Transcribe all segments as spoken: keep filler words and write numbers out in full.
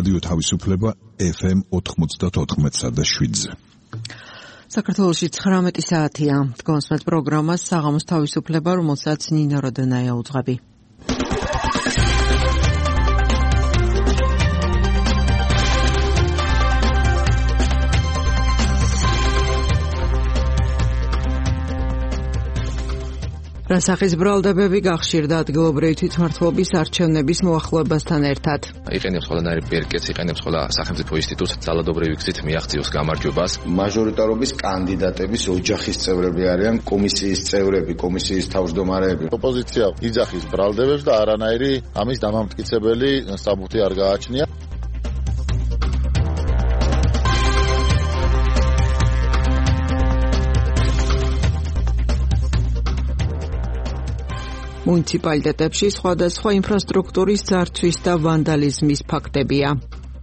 რადიო თავისუფლება ეფ ემ ოთხმოცდაოთხ და შვიდზე. საქართველოში ცხრამეტი საათია. დგომსმეთ პროგრამას საღამოს თავისუფლება, რომელსაც ნინა როდონაია უძღვები. რასახის ბრალდებები გახშირდა ადგილობრივი თვითმმართველობის არჩევნების მოახლოებასთან ერთად. იყენებს ყველანაირი ბერკეტს, იყენებს ყველა სახელმწიფო ინსტიტუტს ძალადობრივი გზით მიაღწიოს გამარჯვებას. მაჟორიტარობის კანდიდატების ოჯახის წევრები არიან, კომისიის წევრები, კომისიის თავმჯდომარეები. ოპოზიცია იძახის ბრალდებებს და არანაირი ამის დამამტკიცებელი საბუთი არ გააჩნია. მუნიციპალიტეტებში სხვადასხვა ინფრასტრუქტურის ძარცვის და ვანდალიზმის ფაქტებია.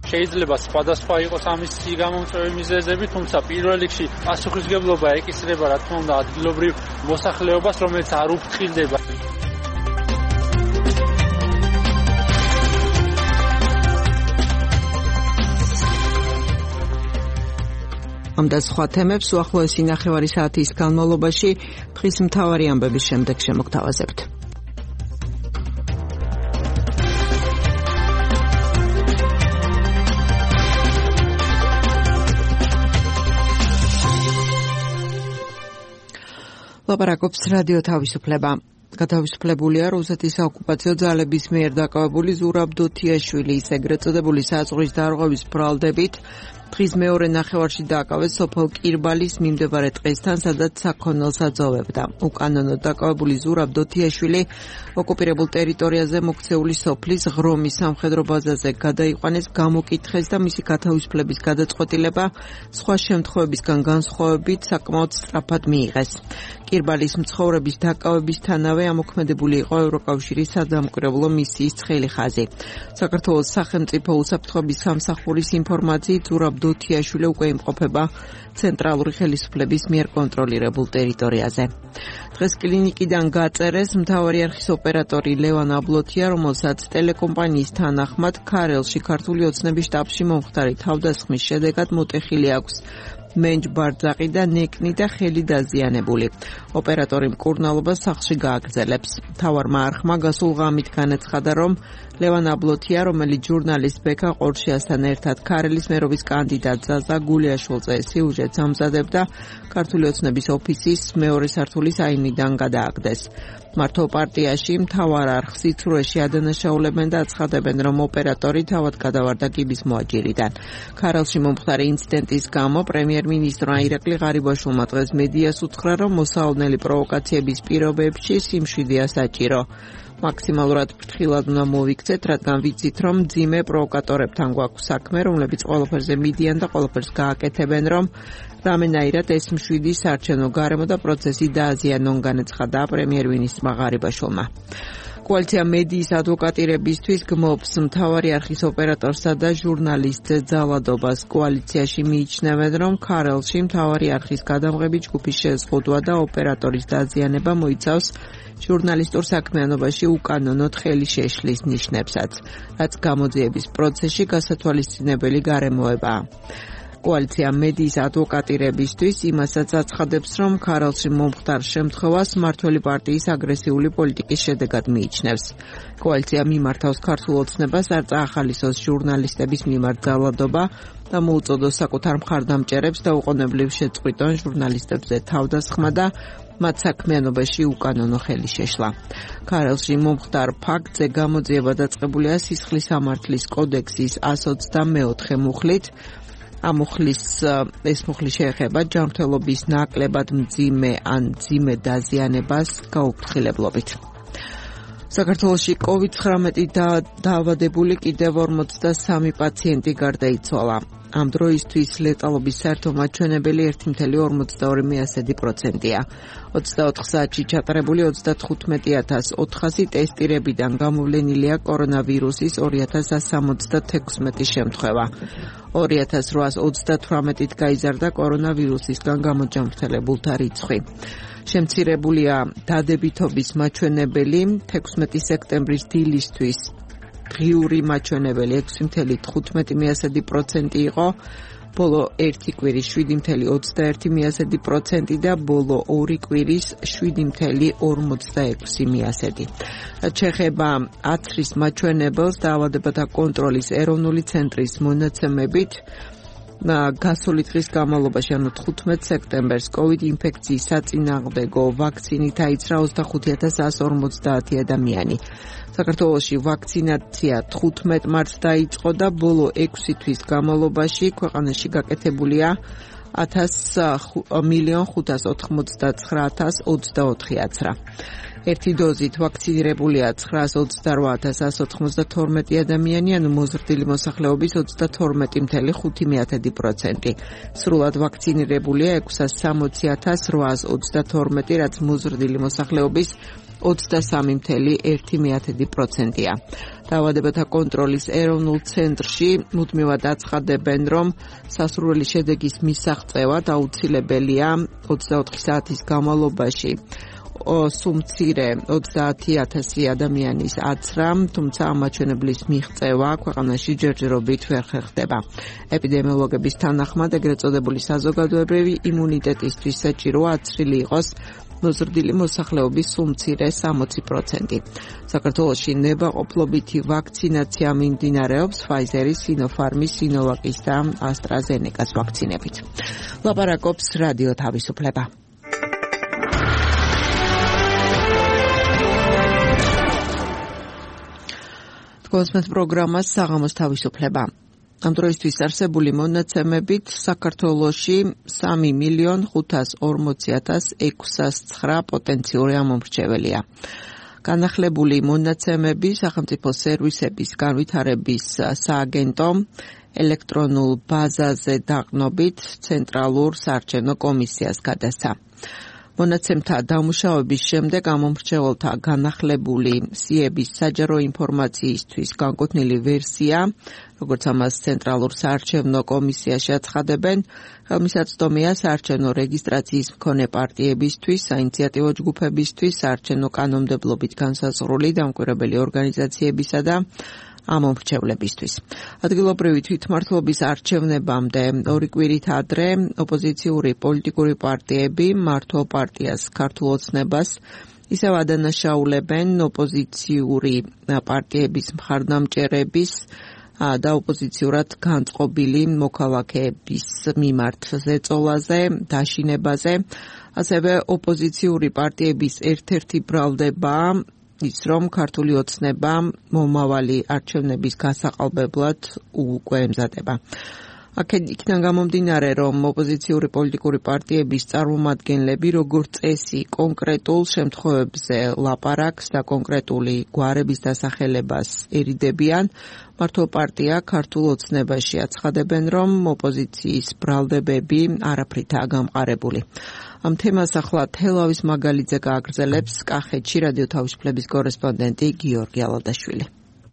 შეიძლება სხვადასხვა იყოს ამის გამომწვევი მიზეზები, თუმცა პირველ რიგში პასუხისმგებლობა ეკისრება რა თქმა უნდა ადგილობრივ მოსახლეობას, რომელიც არ უფრთხილდება. ამ და სხვა თემებს უახლოესი ნახევარი საათის განმავლობაში დღის მთავარი ამბების შემდეგ შემოგთავაზებთ. ლაპარაკობს რადიო თავისუფლება. გათავისუფლებულია რუსეთის საოკუპაციო ძალების მიერ დაკავებული ზურაბ დოთიაშვილის ეგრეთ წოდებული საზღვრის დარღვევის ბრალდებით დღის მეორე ნახევარში დააკავეს სოფელ კირბალის მიმდებარე ტყესთან, სადაც საქონელს აძოვებდა. უკანონოდ დაკავებული ზურაბ დოთიაშვილი ოკუპირებულ ტერიტორიაზე მოქცეული სოფლის ღრომის სამხედრო ბაზაზე გადაიყვანეს, გამოკითხეს და მისი გათავისუფლების გადაწყვეტილება სხვა შემთხვევებისგან განსხვავებით საკმაოდ სწრაფად მიიღეს. კირბალის მცხოვრების დაკავებისთანავე ამოქმედებული იყო ევროკავშირის სადამკვირვებლო მისიის ცხელი ხაზი. საქართველოს სახელმწიფო უსაფრთხოების სამსახურის ინფორმაციით ზურაბ დოთიაშვილი უკვე იმყოფება ცენტრალური ხელისუფლების მიერ კონტროლირებულ ტერიტორიაზე. დღეს კლინიკიდან გაწერეს მთავარი არხის ოპერატორი ლევან აბლოთია, რომელსაც ტელეკომპანიის თანახმად ქარელში ქართული ოცნების შტაბში მომხდარი თავდასხმის შედეგად მოტეხილი აქვს მენჯ ბარძაყი და ნეკნი და ხელი დაზიანებული. ოპერატორი მკურნალობას სახლში გააგრძელებს. მთავარმა არხმა გასულ ღამით განაცხადა, რომ ლევან აბლოთია, რომელიც ჟურნალისტ ბექა ყორშიასთან ერთად ქარელის მერობის კანდიდატ ზაზა გულიაშვილზე სიუჟეტს ამზადებდა, ქართული ოცნების ოფისის მეორე სართულის აივნიდან გადააგდეს. მართო პარტიაში მთავარ არხს იცრუეში ადანაშაულებენ და აცხადებენ, რომ ოპერატორი თავად გადავარდა კიბის მოაჯირიდან. ქარელში მომხდარი ინციდენტის გამო პრემიერ-მინისტრმა ირაკლი ღარიბაშვილმა დღეს მედიას უთხრა, რომ მოსაოდნელი პროვოკაციების პირობებში სიმშვიდეა საჭირო. მაქსიმალურად ფრთხილად უნდა მოვიქცეთ, რადგან ვიცით, რომ მძიმე პროვოკატორებთან გვაქვს საქმე, რომლებიც ყველაფერზე მიდიან და ყველაფერს გააკეთებენ, რომ რამენაირად ეს მშვიდი საარჩევნო გარემო და პროცესი დააზიანონ, განაცხადა პრემიერ-მინისტრმა ღარიბაშვილმა. კოალიცია მედიის ადვოკატირებისთვის გმობს მთავარი არხის ოპერატორსა და ჟურნალისტ ძალადობას. კოალიციაში მიიჩნევენ, რომ ქარელში მთავარი არხის გადამღები ჯგუფის შეზღუდვა და ოპერატორის დაზიანება მოიცავს ჟურნალისტურ საქმიანობაში უკანონოდ ხელი შეშლის ნიშნებსაც, რაც გამოძიების პროცესში გასათვალისწინებელი გარემოებაა. კოალიცია მედიის ადვოკატირებისთვის იმასაც აცხადებს, რომ ქარელში მომხდარ შემთხვევას მმართველი პარტიის აგრესიული პოლიტიკის შედეგად მიიჩნევს. კოალიცია მიმართავს ქართულ ოცნებას არ წაახალისოს ჟურნალისტების მიმართ ძალადობა და მოუწოდოს საკუთარ მხარდამჭერებს და უყონებლივ შეწყვიტონ ჟურნალისტებზე თავდასხმა და მათ საქმიანობაში უკანონო ხელი შეშლა. ქარელში მომხდარ ფაქტზე გამოძიება დაწყებულია სისხლის სამართლის კოდექსის εκατს ოცდამეოთხე მუხლით. ამ მუხლის ეს მუხლი შეეხება ჯანმრთელობის ნაკლებად მძიმე ან მძიმე დაზიანებას გაუფრთხილებლობით. საქართველოში კოვიდ ცხრამეტი დაავადებული კიდევ ორმოცდასამი პაციენტი გარდაიცვალა. ამ დროისთვის ლეტალობის საერთო მაჩვენებელი ერთი კoma ორმოცდაორი პროცენტია. ოცდაოთხ საათში ჩატარებული ოცდათხუთმეტი ათას ოთხასი ტესტირებიდან გამოვლენილია კორონავირუსის ორი ათას ათს სამოცდათექვსმეტი შემთხვევა. ორი ათას რვაას ოცდათვრამეტით გაიზარდა კორონავირუსისგან გამოჯანმრთელებულთა რიცხვი. შემცირებულია დადებითობის მაჩვენებელი თექვსმეტი სექტემბრის დილისთვის ღიური მაჩვენებელი ექვსი წუთი თხუთმეტი პროცენტი იყო, ბოლო ერთი კვირის შვიდი წუთი ოცდაერთი პროცენტი და ბოლო ორი კვირის შვიდი წუთი ორმოცდაექვსი პროცენტი. რაც შეეხება აცრის მაჩვენებელს, დაავადებათა კონტროლის ეროვნული ცენტრის მონაცემებით, გასული დღის განმავლობაში, ანუ თხუთმეტ სექტემბერს, COVID ინფექციის საწინააღმდეგო ვაქცინით აიცრა ოცდახუთი ათას εκατო ორმოცდაათი ადამიანი. საქართველოში ვაქცინაცია თხუთმეტ მარტს დაიწყო და ბოლო ექვსი თვის განმავლობაში ქვეყანაში გაკეთებულია მილიონ ხუთას ოთხმოცდაცხრა ათას ოცდაოთხი აცრა. ერთი დოზით ვაქცინირებულია ცხრაას ოცდარვა ათას ასი ოცდათორმეტი ადამიანი, ანუ მოზრდილი მოსახლეობის ოცდათორმეტი წუთი ხუთი პროცენტი. სრულად ვაქცინირებულია ექვსას სამოცი ათას რვაას ოცდათორმეტი, რაც მოზრდილი მოსახლეობის ოცდასამი წუთი ერთი პროცენტია. დაავადებათა კონტროლის ეროვნულ ცენტრში მუდმივად აცხადებენ, რომ სასურველი შედეგის მისაღწევად აუცილებელია ოცდაოთხი საათის განმავლობაში სუმცირე ოცდაათი ათასი ადამიანის აცრა, თუმცა ამ მაჩვენებლის მიღწევა ქვეყანაში ჯერჯერობით ვერ ხერხდება. ეპიდემიოლოგების თანახმად, ეგრეთ წოდებული საზოგადოებრივი იმუნიტეტისთვის საჭიროა აცრილი იყოს მოზრდილი მოსახლეობის სუმცირე სამოცი პროცენტი. საქართველოში ნებაყოფლობითი ვაქცინაცია მიმდინარეობს Pfizer-ის, Sinopharm-ის, Sinovac-ის და AstraZeneca-ს ვაქცინებით. ლაპარაკობს რადიო თავისუფლება. კონსმეთ პროგრამას საღამოს თავისუფლება. ამ დროისთვის არსებული მონაცემებით საქართველოში სამი მილიონ ხუთას ორმოცი ათას ექვსას ცხრა პოტენციური ამომრჩეველია. განახლებული მონაცემები სახელმწიფო სერვისების განვითარების სააგენტო ელექტრონულ ბაზაზე დაყნობით ცენტრალურ საარჩევნო კომისიას გადასცა. მონაცემთა დამუშავების შემდეგ ამომრჩეველთა განახლებული სიების საჯარო ინფორმაციისთვის განკუთვნილი ვერსია, როგორც ამას ცენტრალურ საარჩევნო კომისიაში აცხადებენ, ხელმისაწვდომია საარჩევნო რეგისტრაციის მქონე პარტიებისთვის, საინიციატივო ჯგუფებისთვის, საარჩევნო კანონმდებლობით განსაზღვრული დამკვირვებელი ორგანიზაციებისა და ამომრჩევლებისთვის. ადგილობრივი თვითმმართველობის არჩევნებამდე ორი კვირით ადრე ოპოზიციური პოლიტიკური პარტიები მართლ პარტიას, ქართულ ოცნებას ისევ ადანაშაულებენ ოპოზიციური პარტიების მხარდამჭერების და ოპოზიციურად განწყობილი მოქალაქეების მიმართ ზეწოლაზე, დაშინებაზე, ასევე ოპოზიციური პარტიების ერთ-ერთი ბრალდება ის, რომ ქართული ოცნება მომავალი არჩევნების გასაყალბებლად უკვე ემზადება. აქედან გამომდინარე, რომ ოპოზიციური პოლიტიკური პარტიების წარმომადგენლები როგორც წესი კონკრეტულ შემთხვევებზე ლაპარაკს და კონკრეტული გვარების დასახელებას ერიდებიან, მართლ პარტია ქართულ ოცნებაში აცხადებენ, რომ ოპოზიციის ბრალდებები არაფრითაა გამყარებული. ამ თემას ახლა თელავის მაგალიძე გააგრძელებს კახეთში რადიო თავისუფლების კორესპონდენტი გიორგი ალადაშვილი.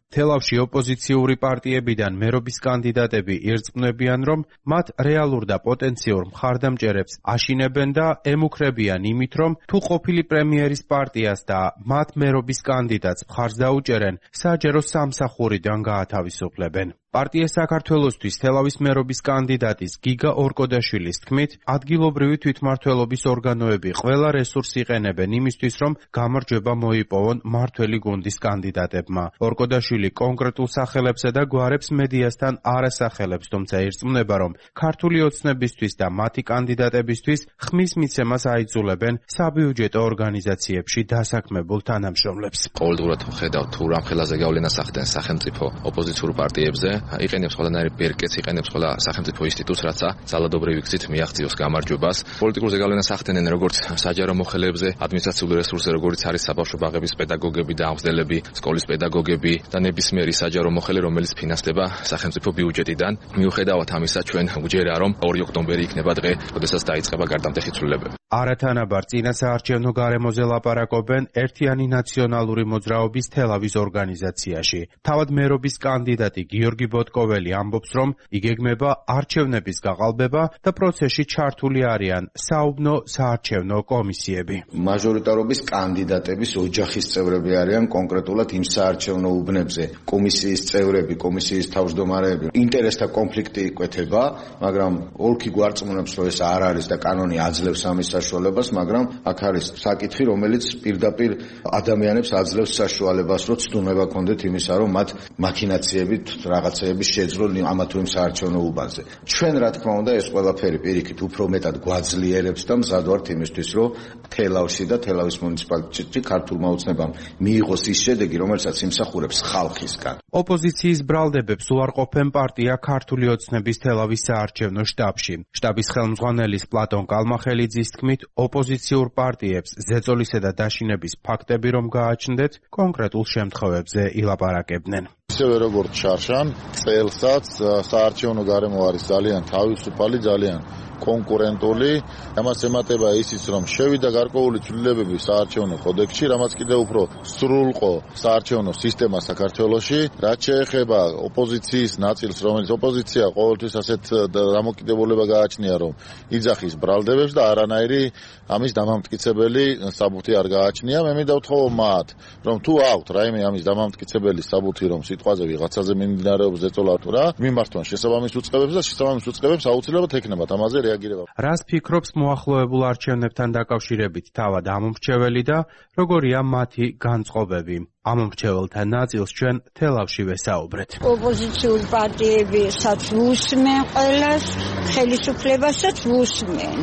თელავში ოპოზიციური პარტიებიდან მერობის კანდიდატები ირწმუნებიან, რომ მათ რეალურ და პოტენციურ მხარდამჭერებს აშინებენ და ემუქრებიან იმით, რომ თუ ყოფილი პრემიერის პარტიას და მათ მერობის კანდიდატს მხარს დაუჭერენ, საჯარო სამსახურიდან გაათავისუფლებენ. პარტია საქართველოსთვის თელავის მერობის კანდიდატის გიგა ორკოდაშვილის თქმით, ადგილობრივი თვითმმართველობის ორგანოები ყველა რესურსს იყენებენ იმისთვის, რომ გამარჯვება მოიპოვონ მმართველი გუნდის კანდიდატებმა. ორკოდაშვილი კონკრეტულ სახელებსა და გვარებს მედიასთან არ ასახელებს, თუმცა ირწმუნება, რომ ქართული ოცნებისთვის და მათი კანდიდატებისთვის ხმის მიცემას აიძულებენ საბიუჯეტო ორგანიზაციებში დასაქმებულ თანამშრომლებს. ყოველდღურად ხედავთ თუ რამ ხელაზე გავლენას ახდენს სახელმწიფო ოპოზიციურ პარტიებზე. იყენებს ყველანაირი ბერკეტს, იყენებს ყველა სახელმწიფო ინსტიტუტს, რაცა ძალადობრივი გზით მიაღწიოს გამარჯვებას. პოლიტიკურ ზეგავლენას ახდენენ როგორც საჯარო მოხელეებზე, ადმინისტრაციული რესურსზე, როგორც არის საბავშვო ბაღების პედაგოგები და აღმზრდელები, სკოლის პედაგოგები და ნებისმიერი საჯარო მოხელე, რომელიც ფინანსდება სახელმწიფო ბიუჯეტიდან. მიუხედავად ამისა, ჩვენ გვჯერა, რომ ორი ოქტომბერი იქნება დღე, როდესაც დაიწყება გარდამტეხი ცვლილებები. არათანაბარ წინა საარჩევნო გარემოზე ლაპარაკობენ ერთიანი ნაციონალური მოძრაობის თელავის ორგანიზაციაში. თავად მერობის კანდიდატი გიორგი ბოტკოველი ამბობს, რომ იგეგმება არჩევნების გაყალბება და პროცესში ჩართული არიან საუბნო საარჩევნო კომისიები. მაჟორიტარობის კანდიდატების ოჯახის წევრები არიან კონკრეტულად იმ საარჩევნო უბნებზე. კომისიის წევრები, კომისიის თავმჯდომარეები, ინტერესთა კონფლიქტი იკვეთება, მაგრამ ოლქი გვარწმუნებს, რომ ეს არ არის და კანონი აძლევს ამის საშუალებას, მაგრამ აქ არის საკითხი, რომელიც პირდაპირ ადამიანებს აძლევს საშუალებას, რომ ცდუნება კონდეთ იმისა, რომ მათ მაქინაციებით რაღაცეები შეძლონ ამა თუ იმ საარჩევნო უბანზე. ჩვენ რა თქმა უნდა ეს ყველაფერი პირიქით უფრო მეტად გვაძლიერებს და მზად ვართ იმისთვის, რომ თელავში და თელავის მუნიციპალიტეტში ქართულმა ოცნებამ მიიღოს ის შედეგი, რომელსაც იმსახურებს ხალხისგან. ოპოზიციის ბრალდებებს უარყოფენ პარტია ქართული ოცნების თელავის საარჩევნო შტაბში. შტაბის ხელმძღვანელის პლატონ კალმახელიძის თქმით, ოპოზიციურ პარტიებს ზეწოლისა და დაშინების ფაქტები რომ გააჩნდეთ, კონკრეტულ შემთხვევებზე ილაპარაკებდნენ. ისევე როგორც შარშან, წელსაც საარჩევნო გარემო არის ძალიან თავისუფალი, ძალიან კონკურენტული. ამას ემატება ისიც, რომ შევიდა გარკვეული ცვლილებები საარჩევნო კოდექსში, რამაც კიდევ უფრო სრულყო საარჩევნო სისტემა საქართველოში. რაც შეეხება ოპოზიციის ნაწილს, რომელიც ოპოზიცია ყოველთვის ასეთ დამოკიდებულება გააჩნია, რომ იძახის ბრალდებებს და არანაირი ამის დამამტკიცებელი საბუთი არ გააჩნია. მე მინდა ვთხოვო მათ, რომ თუ აქვთ რაიმე ამის დამამტკიცებელი საბუთი, რომ სიტყვაზე ვიღაცაზე მიმდინარეობს ზეწოლა თუ რა, მიმართონ შესაბამის უწყებებს და შესაბამის უწყებებს აუცილებლად ექნებათ ამაზე რეაგირება. რას ფიქრობს მოახლოებულ არჩევნებთან დაკავშირებით თავად ამომრჩეველი და როგორია მათი განწყობები? ამომრჩეველთა ნაწილს ჩვენ თელავში ვესაუბრეთ. ოპოზიციური პარტიებისაც ვუსმენ ყველას, ხელისუფლებასაც ვუსმენ.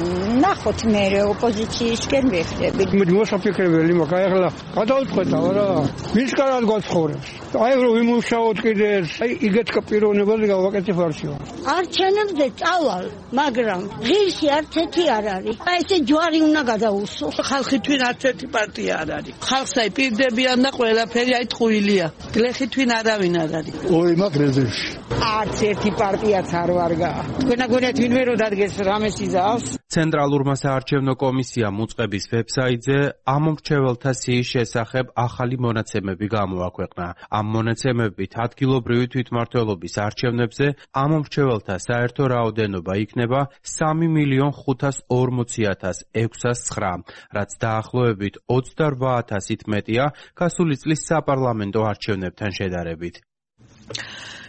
ნახოთ მე ოპოზიციისკენ ვიხდები. მოსაფიქრებელი მაქვს, აი ახლა გადავწყვეტა რა. ვის კარად გვაცხოვრებს? აი რომ ვიმუშაოთ კიდე, აი იგეთკა პიროვნებაზე გავაკეთებ არჩევნებს. არჩევნებზე წავალ, მაგრამ ღირსი არც ერთი არ არის. აი ესე ჯვარი უნდა გადაუსო. ხალხი თვინ არც ერთი პარტია არ არის. ხალხს აი პირდებიან და ყველა ფერი აი ტყუილია. გლეხი თვინ არავინ არ არის. ოი მაგ რეზერვში. არც ერთი პარტიაც არ ვარგა. თქვენა გონიათ ვინმე რო დადგეს რამეს იზავს. ცენტრალურმა საარჩევნო კომისიამ უწყების ვებსაიტზე ამომრჩეველთა სიის შესახებ ახალი მონაცემები გამოაქვეყნა. ამ მონაცემებით ადგილობრივი თვითმმართველობის არჩევნებზე ამომრჩეველთა საერთო რაოდენობა იქნება სამი მილიონ ხუთას ორმოცი ათას ექვსას ცხრა, რაც დაახლოებით ოცდარვა ათასით მეტია გასული წლის საპარლამენტო არჩევნებთან შედარებით.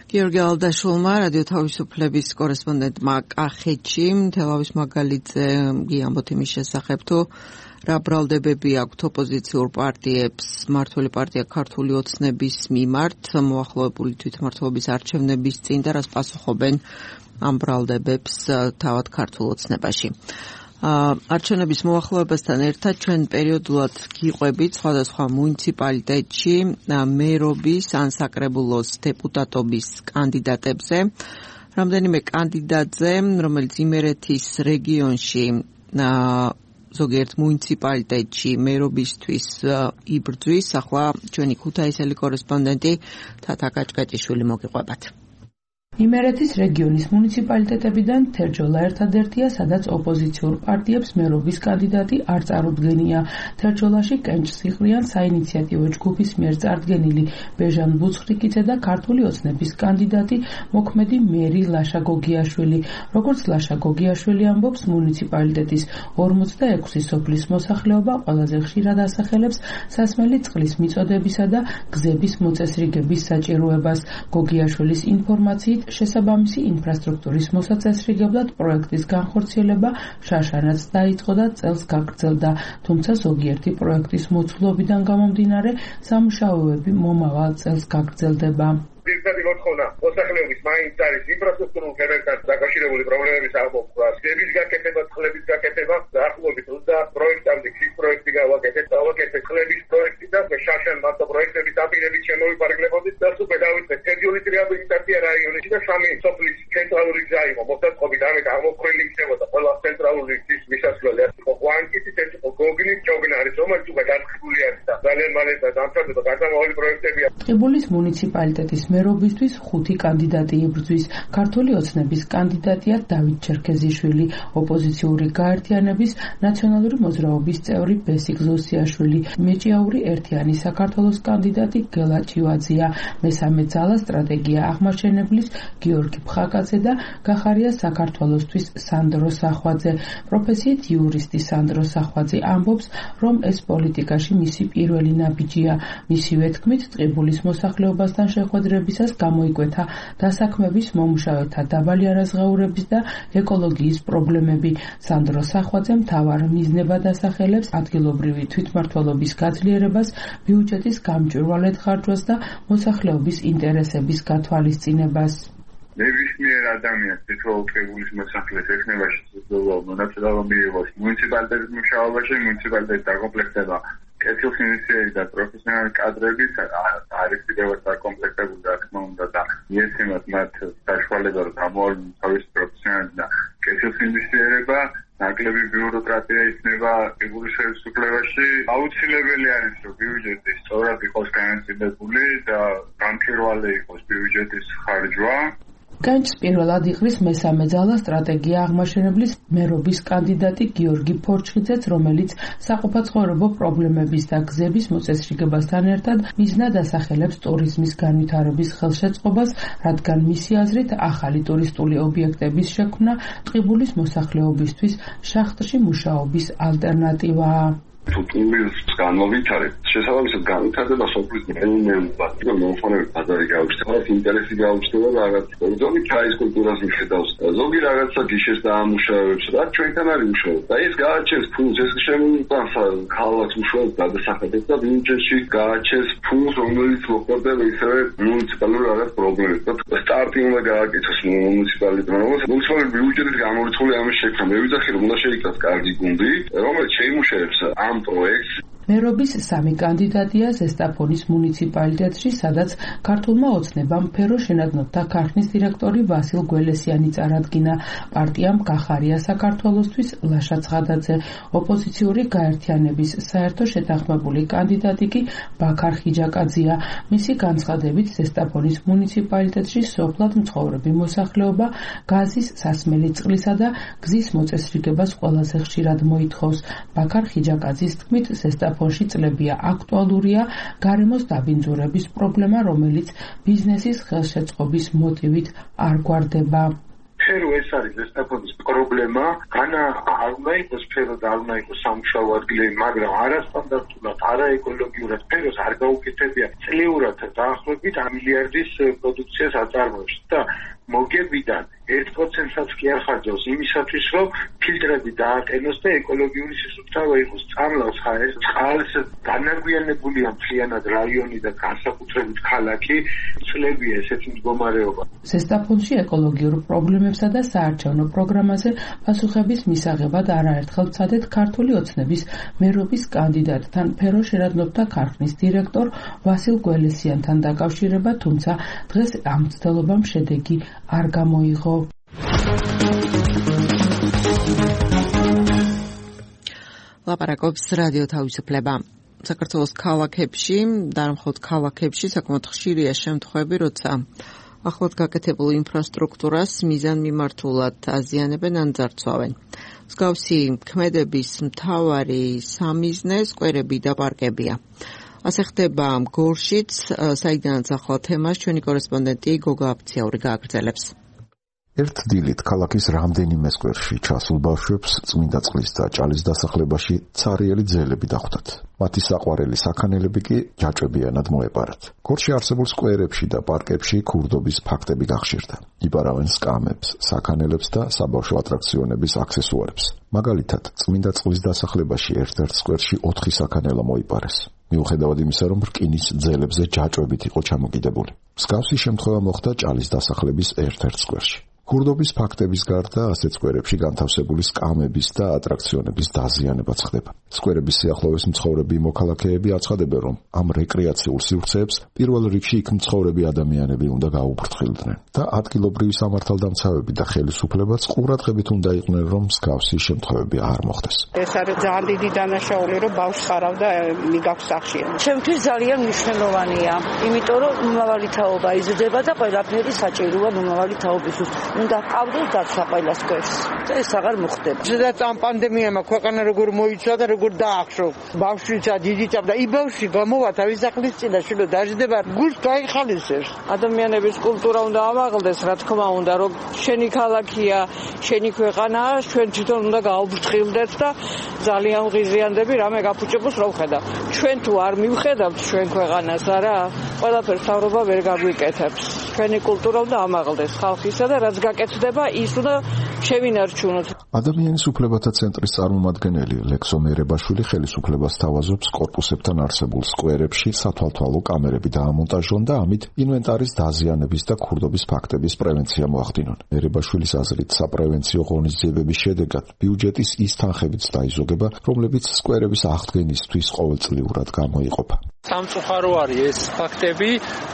გიორგი ალდაშულმა, რადიო თავისუფლების კორესპონდენტმა კახეთში, თელავის მაგალითზე გიამბოთ იმის შესახებ, თუ რა ბრალდებები აქვთ ოპოზიციურ პარტიებს მმართველი პარტია ქართული ოცნების მიმართ მოახლოებული თვითმმართველობის არჩევნების წინ და რას პასუხობენ ამ ბრალდებებს თავად ქართულ ოცნებაში. არჩევნების მოახლოებასთან ერთად ჩვენ პერიოდულად გიყვებით სხვადასხვა მუნიციპალიტეტში მერობის ან საკრებულოს დეპუტატობის კანდიდატებზე. რამდენიმე კანდიდატზე, რომელიც იმერეთის რეგიონში ზოგიერთ მუნიციპალიტეტში მერობისთვის იბრძვის, ახლა ჩვენი ქუთაისელი კორესპონდენტი თათა კაჭკაჭიშვილი მოგიყვებათ. იმერეთის რეგიონის მუნიციპალიტეტებიდან თერჯოლა ერთადერთია, სადაც ოპოზიციურ პარტიებს მერობის კანდიდატი არ წარუდგენია. თერჯოლაში კენჭს იღრიან საინიციატივო ჯგუფის მიერ წარდგენილი ბეჟან ბუცხრიკიძე და ქართული ოცნების კანდიდატი მოქმედი მერი ლაშა გოგიაშვილი. როგორც ლაშა გოგიაშვილი ამბობს, მუნიციპალიტეტის ორმოცდაექვსი სოფლის მოსახლეობა ყველაზე ხშირად ასახელებს სასმელი წყლის მიწოდებისა და გზების მოწესრიგების საჭიროებას. გოგიაშვილის ინფორმაციით შესაბამისი ინფრასტრუქტურის მოსაწესრიგებლად პროექტის განხორციელება შაშანაც დაიწყო და წელს გაგრძელდა, თუმცა ზოგიერთი პროექტის მოცულობიდან გამომდინარე სამუშაოები მომავალ წელს გაგრძელდება. პირდაპირ მოთხოვნა მოსახლეობის მაინც არის ინფრასტრუქტურულ ფერებთან დაკავშირებული პრობლემების აღმოფხვრა, გზების გაკეთება, წყლების გაკეთება, დაახლოებით ოცდაათ პროექტამდე ქვის პროექტი გავაკეთეთ, დავაკეთეთ წყლების პროექტი და შაშან მარტო პროექტების დაპირებით შემოვიფარგლებოდით და უკვე დავიწყეთ თერჯოლის რეაბილიტაცია რაიონში და სამი სოფლის ცენტრალური გზა იყო მოსაწყობი და ამით აღმოფხრილი იქნებოდა ყველა ცენტრალური გზის მისასვლელი. იყო ყვანკიტის, ეს იყო გოგნის, ჯოგნარის, რომელიც უკვე დაწყებული არის და ძალიან მალე დამთავრდება გარდამავალი პროექტებია. ტყიბულის მუნიციპალიტეტის მერობისთვის ხუთი კანდიდატი იბრძვის. ქართული ოცნების კანდიდატია დავით ჩერქეზიშვილი, ოპოზიციური გაერთიანების ნაციონალური მოძრაობის წევრი ბესიკ ზოსიაშვილი, მეჭიაური ერთიანი საქართველოს კანდიდატი გელა ჭივაძია, მესამე ძალა სტრატეგია აღმაშენებლის გიორგი ფხაკაძე და გახარია საქართველოსთვის სანდრო სახვაძე. პროფესიით იურისტი სანდრო სახვაძე ამბობს, რომ ეს პოლიტიკაში მისი პირველი ნაბიჯია. მისივე თქმით, ტყიბულის მოსახლეობასთან შეხვედრებისას გამოიკვეთა დასაქმების, მომუშავეთა დაბალი არაზღაურების და ეკოლოგიის პრობლემები. სანდრო სახვაძე მთავარ მიზნებად ასახელებს ადგილობრივი თვითმმართველობის გაძლიერებას, ბიუჯეტის გამჭვირვალედ ხარჯვას და მოსახლეობის ინტერესების გათვალისწინებას. ნებისმიერ ადამიანს თითოეულ ტყიბულის მოსახლეს ექნება შესაძლებლობა მონაწილეობა მიიღოს მუნიციპალიტეტის მუშაობაში, მუნიციპალიტეტი დაკომპლექტდება კეთილსინდისიერი და პროფესიონალი კადრებით, არის კიდევ დაკომპლექტებული რა თქმა უნდა და მიეცემათ მათ საშუალება რომ გამოავლინონ თავისი პროფესიონალი და კეთილსინდისიერება, ნაკლები ბიუროკრატია იქნება ტყიბულის ხელისუფლებაში. აუცილებელი არის რომ ბიუჯეტი სწორად იყოს განაწილებული და გამჭვირვალე იყოს ბიუჯეტის ხარჯვა. განჭს პირველად იღრის მესამე ძალა სტრატეგია აღმაშენებლის მერობის კანდიდატი გიორგი ფორჩხიძეც, რომელიც საყოფაცხოვრებო პრობლემების და გზების მოწესრიგებასთან ერთად მიზნად ასახელებს ტურიზმის განვითარების ხელშეწყობას, რადგან მისი აზრით ახალი ტურისტული ობიექტების შექმნა ტყიბულის მოსახლეობისთვის შახტში მუშაობის ალტერნატივაა. თუ ტურიზმს განმოვითარებთ, შესაბამისად განვითარდება სოფლის მეურნეობა და მომხმარებელი ბაზარი გაუჩნდება, ინტერესი გაუჩნდება რაღაც ზოგი ჩაის კულტურას მიხედავს, ზოგი რაღაცა გიშეს დაამუშავებს, რაც ჩვენთან არის უშუალოდ. და ეს გააჩენს ფულს, ეს შემოიტანს ქალაქს უშუალოდ გადასახადებს და ბიუჯეტში გააჩენს ფულს, რომელიც მოხდება ისევე მუნიციპალურ რაღაც პრობლემებს. და სტარტი უნდა გააკეთოს მუნიციპალიტეტმა, რომელიც მუნიციპალური ბიუჯეტის გამორიცხული ამის შექმნა. მე ვიძახი რომ უნდა შეიქმნას კარგი გუნდი, რომელიც შეიმუშავებს ამ პროექტს. მერობის სამი კანდიდატია ზესტაფონის მუნიციპალიტეტში, სადაც ქართულმა ოცნებამ ფერო შენადნობთა ქარხნის დირექტორი ვასილ გველესიანი წარადგინა. პარტიამ გახარია საქართველოსთვის ლაშა ცხადაძე, ოპოზიციური გაერთიანების საერთო შეთანხმებული კანდიდატი კი ბაქარ ხიჯაკაძია. მისი განცხადებით, ზესტაფონის მუნიციპალიტეტში სოფლად მცხოვრები მოსახლეობა გაზის, სასმელი წყლისა და გზის მოწესრიგებას ყველაზე ხშირად მოითხოვს. ბაქარ ხიჯაკაძის თქმით, ზესტაფონის ფონში წლებია აქტუალურია გარემოს დაბინძურების პრობლემა, რომელიც ბიზნესის ხელშეწყობის მოტივით არ გვარდება. ფერო ეს არის ზესტაფონის პრობლემა, განა არ უნდა იყოს ფერო და არ უნდა იყოს სამუშაო ადგილები, მაგრამ არასტანდარტულად, არაეკოლოგიურად ფეროს არ გაუკეთებია წლიურად დაახლოებით მილიარდის პროდუქციას აწარმოებს და მოგებიდან ერთ პროცენტსაც კი არ ხარჯავს იმისათვის, რომ ფილტრები დააყენოს და ეკოლოგიური სისუფთავე იყოს. წამლავს ხარ წყალს განაგვიანებულია მთლიანად რაიონი და განსაკუთრებით ქალაქი, წლებია ესეთი მდგომარეობა. ზესტაფონში ეკოლოგიურ პრობლემებსა და საარჩევნო პროგრამაზე პასუხების მისაღებად არაერთხელ ვცადეთ ქართული ოცნების მერობის კანდიდატთან, ფერო შენადნობთა ქარხნის დირექტორ ვასილ გველესიანთან დაკავშირება, თუმცა დღეს ამ მცდელობამ შედეგი არ გამოიღო. ლაპარაკობს რადიო თავისუფლება. საქართველოს ქალაქებში და მხოლოდ ქალაქებში საკმაოდ ხშირია შემთხვევები, როცა ახლად გაკეთებულ ინფრასტრუქტურას მიზანმიმართულად აზიანებენ ან ძარცვავენ. მსგავსი ქმედების მთავარი სამიზნე სკვერები და პარკებია. ასე ხდება გორშიც, საიდანაც ახლა თემას ჩვენი კორესპონდენტი გოგა აფციაური გააგრძელებს. ერთ დილით ქალაქის რამდენიმე სკვერში ჩასულ ბავშვებს წმინდა წყლის და ჭალის დასახლებაში ცარიელი ძელები დახვდათ. მათი საყვარელი საქანელები კი ჯაჭვებიანად მოეპარათ. გორში არსებულ სკვერებში და პარკებში ქურდობის ფაქტები გახშირდა. იპარავენ სკამებს, საქანელებს და საბავშვო ატრაქციონების აქსესუარებს. მაგალითად, წმინდა წყლის დასახლებაში ერთ-ერთ სკვერში ოთხი საქანელა მოიპარეს. მიუხედავად იმისა, რომ რკინის ძელებზე ჯაჭვებით იყო ჩამოკიდებული. მსგავსი შემთხვევა მოხდა ჭალის დასახლების ერთ-ერთ სკვერში. ქურდობის ფაქტების გარდა ასეთ სკვერებში განთავსებული სკამების და ატრაქციონების დაზიანებაც ხდება. სკვერების სიახლოვეს მცხოვრები მოქალაქეები აცხადებენ, რომ ამ რეკრეაციულ სივრცეებს პირველ რიგში იქ მცხოვრები ადამიანები უნდა გაუფრთხილდნენ და ადგილობრივი სამართალდამცავები და ხელისუფლებაც ყურადღებით უნდა იყვნენ, რომ მსგავსი შემთხვევები არ მოხდეს. ეს არის ძალიან დიდი დანაშაული, რომ ბავშვს ხარავ და მიგაქვს სახში. ჩემთვის ძალიან მნიშვნელოვანია, იმიტომ რომ მომავალი თაობა იზრდება და ყველაფერი საჭიროა მომავალი თაობისთვის. უნდა ყავდეს დაცვა ყველა სკვერს. ეს აღარ მოხდება. ზედაც ამ პანდემიამ ქვეყანა როგორ მოიცვა და როგორ დაახშო. ბავშვიცა დიდიცა და იმ ბავშვი გამოვა თავის სახლის წინაშე და დაждდება გულს გაიხალისებს. ადამიანების კულტურა უნდა ამაღლდეს, რა თქმა უნდა, რომ შენი ქალაქია, შენი ქვეყანაა, ჩვენ თვითონ უნდა გაუფრთხილდეთ და ძალიან ღიზიანდები რამე გაფუჭებოს რა ვხედავ. ჩვენ თუ არ მივხედავთ ჩვენ ქვეყანას, არა, ყველაფერს თავრობა ვერ გაგვიკეთებს. ჩვენი კულტურა უნდა ამაღლდეს ხალხისა და რაც გაკეთდება, ის უნდა შევინარჩუნოთ. ადამიანის უფლებათა ცენტრის წარმომადგენელი ლექსო მერებაშვილი ხელისუფლებას თავაზობს კორპუსებთან არსებულ სკვერებში სათვალთვალო კამერები დაამონტაჟონ და ამით ინვენტარის დაზიანების და ქურდობის ფაქტების პრევენცია მოახდინონ. მერებაშვილის აზრით, საპრევენციო ღონისძიებების შედეგად ბიუჯეტის ის თანხებიც დაიზოგება, რომლებიც სკვერების აღდგენისთვის ყოველწლიურად გამოიყოფა. სამწუხარო არის ეს ფაქტები,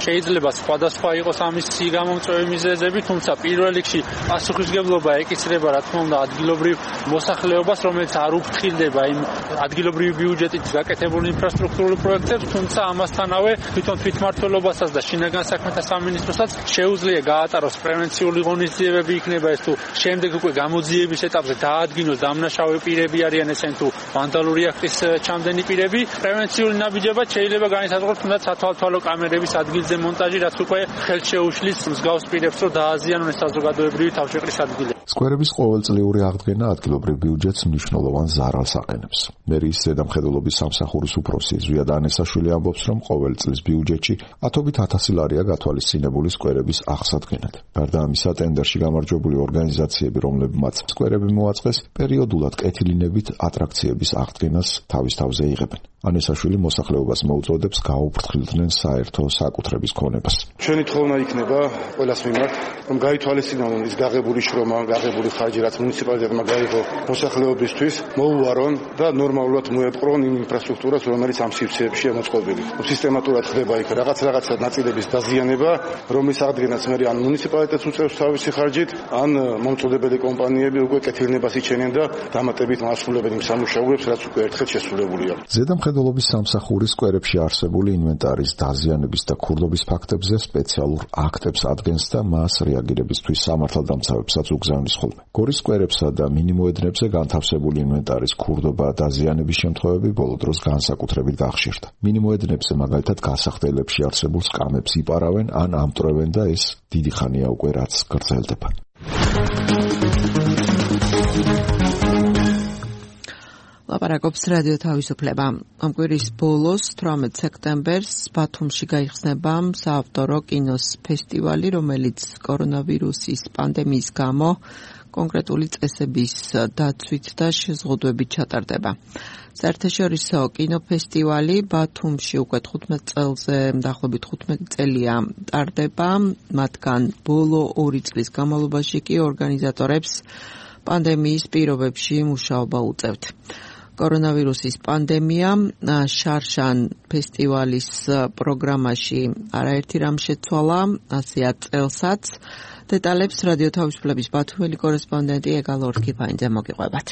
შეიძლება სხვადასხვა იყოს ამის გამომწვევი მიზეზები, თუმცა პირველ რიგში პასუხისმგებლობა ეკისრება რა თქმა უნდა ადგილობრივ მოსახლეობას, რომელიც არ უფრთხილდება იმ ადგილობრივი ბიუჯეტით გაკეთებულ ინფრასტრუქტურულ პროექტებს, თუმცა ამასთანავე თვითონ თვითმმართველობასაც და შინაგან საქმეთა სამინისტროსაც შეუძლია გაატაროს პრევენციული ღონისძიებები, იქნება ეს თუ შემდეგ უკვე გამოძიების ეტაპზე დაადგინოს დამნაშავე პირები არიან ესენ თუ ვანდალური აქტის ჩამდენი პირები, პრევენციული ნაბიჯება შეიძლება განისაზღვროს თუნდაც სათვალთვალო კამერების ადგილზე მონტაჟი, რაც უკვე ხელს შეუშლის მსგავს პირებს, რომ დააზიანონ ეს საზოგადოებრივი თავშეყრის ადგილები. სკვერების ყოველწლიური აღდგენა ადგილობრივ ბიუჯეტს მნიშვნელოვან ზარალს აყენებს. მერიის ზედამხედველობის სამსახურის უფროსი ზვიად ანესაშვილი ამბობს, რომ ყოველ წლის ბიუჯეტში ათობით ათასი ლარია გათვალისწინებული სკვერების აღსადგენად. გარდა ამისა, ტენდერში გამარჯვებული ორგანიზაციები, რომლებმაც სკვერები მოაწყეს, პერიოდულად კეთილინებით ატრაქციების აღდგენას თავის თავზე იღებენ. ანესაშვილი მოსახლეობას მოუწოდებს გაუფრთხილდნენ საერთო საკუთრების ქონებას. ჩვენი თხოვნა იქნება ყველას მიმართ, რომ გაითვალისწინონ ის გაღებული შრომა, გაღებული ხარჯი, რაც მუნიციპალიტეტმა გაიღო მოსახლეობისთვის, მოუვარონ და ნორმალურად მოეპყრონ იმ ინფრასტრუქტურას, რომელიც ამ სივრცეებში მოწყობილი. სისტემატურად ხდება იქ რაღაც რაღაცა ნაწილების დაზიანება, რომლის აღდგენაც მე ან მუნიციპალიტეტს უწევს თავისი ხარჯით, ან მომწოდებელი კომპანიები უკვე კეთილნებას იჩენენ და დამატებით მასულებენ იმ სამუშაოებს, რაც უკვე ერთხელ შესრულებულია. ზედამხედველობის სამსახურის სკვერებში არსებული ინვენტარის დაზიანების და ქურდობის ფაქტებზე სპეციალურ აქტებს ადგენს და მას რეაგირებისთვის სამართალდამცავებსაც უგზავნის ხოლმე. გორის სკვერებსა და მინიმოედნებზე განთავსებული ინვენტარის ქურდობა და დაზიანების შემთხვევები ბოლო დროს განსაკუთრებით გახშირდა. მინიმოედნებზე მაგალითად გასახდელებში არსებულ სკამებს იპარავენ ან ამტვრევენ და ეს დიდი ხანია უკვე რაც გრძელდება. ლაპარაკობს რადიო თავისუფლება. ამ კვირის ბოლოს თვრამეტ სექტემბერს ბათუმში გაიხსნება საავტორო კინოს ფესტივალი, რომელიც კორონავირუსის პანდემიის გამო კონკრეტული წესების დაცვით და შეზღუდვებით ჩატარდება. საერთაშორისო კინოფესტივალი ბათუმში უკვე თხუთმეტ წელზე, დაახლოებით თხუთმეტი წელია ტარდება, მათგან ბოლო ორი წლის განმავლობაში კი ორგანიზატორებს პანდემიის პირობებში მუშაობა უწევთ. კორონავირუსის პანდემია შარშან ფესტივალის პროგრამაში არაერთი რამ შეცვალა, ასეა წელსაც. დეტალებს რადიო თავისუფლების ბათუმელი კორესპონდენტი ეგალ ორქიფაინძე მოგიყვებათ.